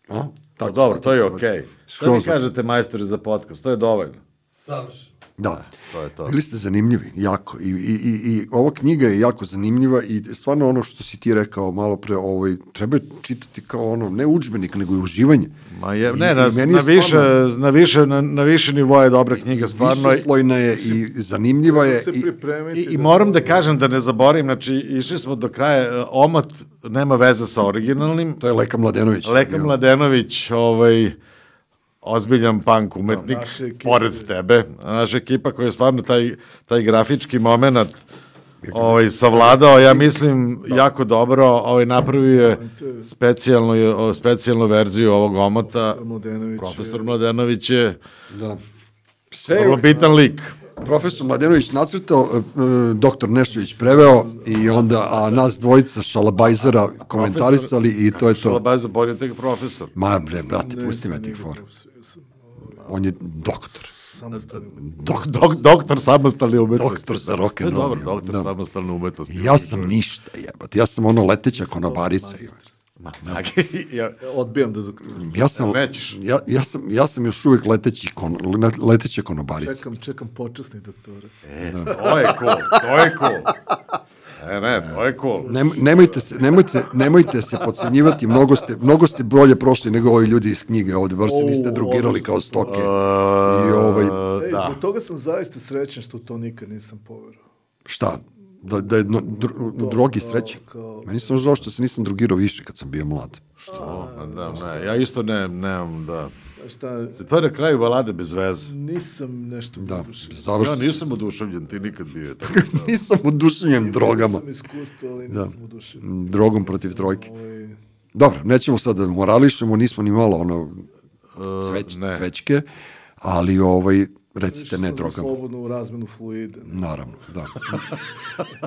A? Pa dobro, to je okej. Okay. Šta mi Skroz. kažete, majstori, za podcast? To je dovoljno. Savršeno. Da, To je to. bili ste zanimljivi, jako. I, i, i, i ova knjiga je jako zanimljiva i stvarno ono što si ti rekao malo pre, ovaj, treba je čitati kao ono, ne udžbenik, nego i uživanje. Ma je, I- ne, i na, meni na, je više, stvarno- na, više, na, na više nivoa je dobra knjiga, stvarno. Višeslojna je i zanimljiva je. Se I, pripremiti. I, I moram da kažem da ne zaboravim, znači išli smo do kraja, e, Omot nema veze sa originalnim, to je Leka Mladenović. Leka Ja. Mladenović, ovaj, ozbiljan punk umetnik, naša ekipa. pored tebe, naša ekipa koja je stvarno taj, taj grafički moment ovaj, savladao, ja mislim, jako dobro, ovaj, napravio je specijalnu, specijalnu verziju ovog Omota. Mladenović. Profesor Mladenović je Da. Sve vrlo bitan lik. profesor Mladenović nacrtao, e, e, doktor Nešović preveo i onda, a nas dvojica šalabajzera komentarisali i to je to. Šalabajza bolje tek profesor. Ma bre, brate, Ne, pusti me sam tih nego fora. profesor, ja sam, On je doktor. samostalni. Dok, dok, doktor samostalne umetnosti. Doktor za To rock je and roll, dobro, ja, doktor da. samostalne umetnosti. Ja sam ništa, jebate. Ja sam ono leteća konobarica. Ma, ja, Odbijam da dok... Ja sam, Nećeš. ja, ja, sam, ja sam još uvijek leteći kon, leteća konobarica. Čekam, čekam počasni doktore. e, to je cool, to je cool. E, ne, to je cool. Nem, nemojte, se, nemojte, nemojte se podcenjivati, mnogo ste, mnogo ste bolje prošli nego ovi ljudi iz knjige ovde, bar se niste O, drugirali odlično. kao stoke. Uh, I ovaj, Ej, da. zbog toga sam zaista srećan što to nikad nisam poverovao. šta? Da, da je no, dr, u drogi kao- srećan. kao- Meni sam žao što se nisam drogirao više kad sam bio mlad. Što? Da, ne, ja isto ne, nemam, da. A šta, Se to je na kraju balade bez veze. nisam nešto Da, oduševljen. Ja završno. nisam oduševljen, ti nikad bio. Tako da. Nisam oduševljen drogama. Nisam iskustvo, ali nisam oduševljen. Drogom protiv trojke. Ovaj, Dobro, nećemo sad da morališemo, nismo ni malo ono sveć, ne. svećke, ali ovaj, recite išao ne sam za drogama. slobodnu razmenu fluida. Naravno, da.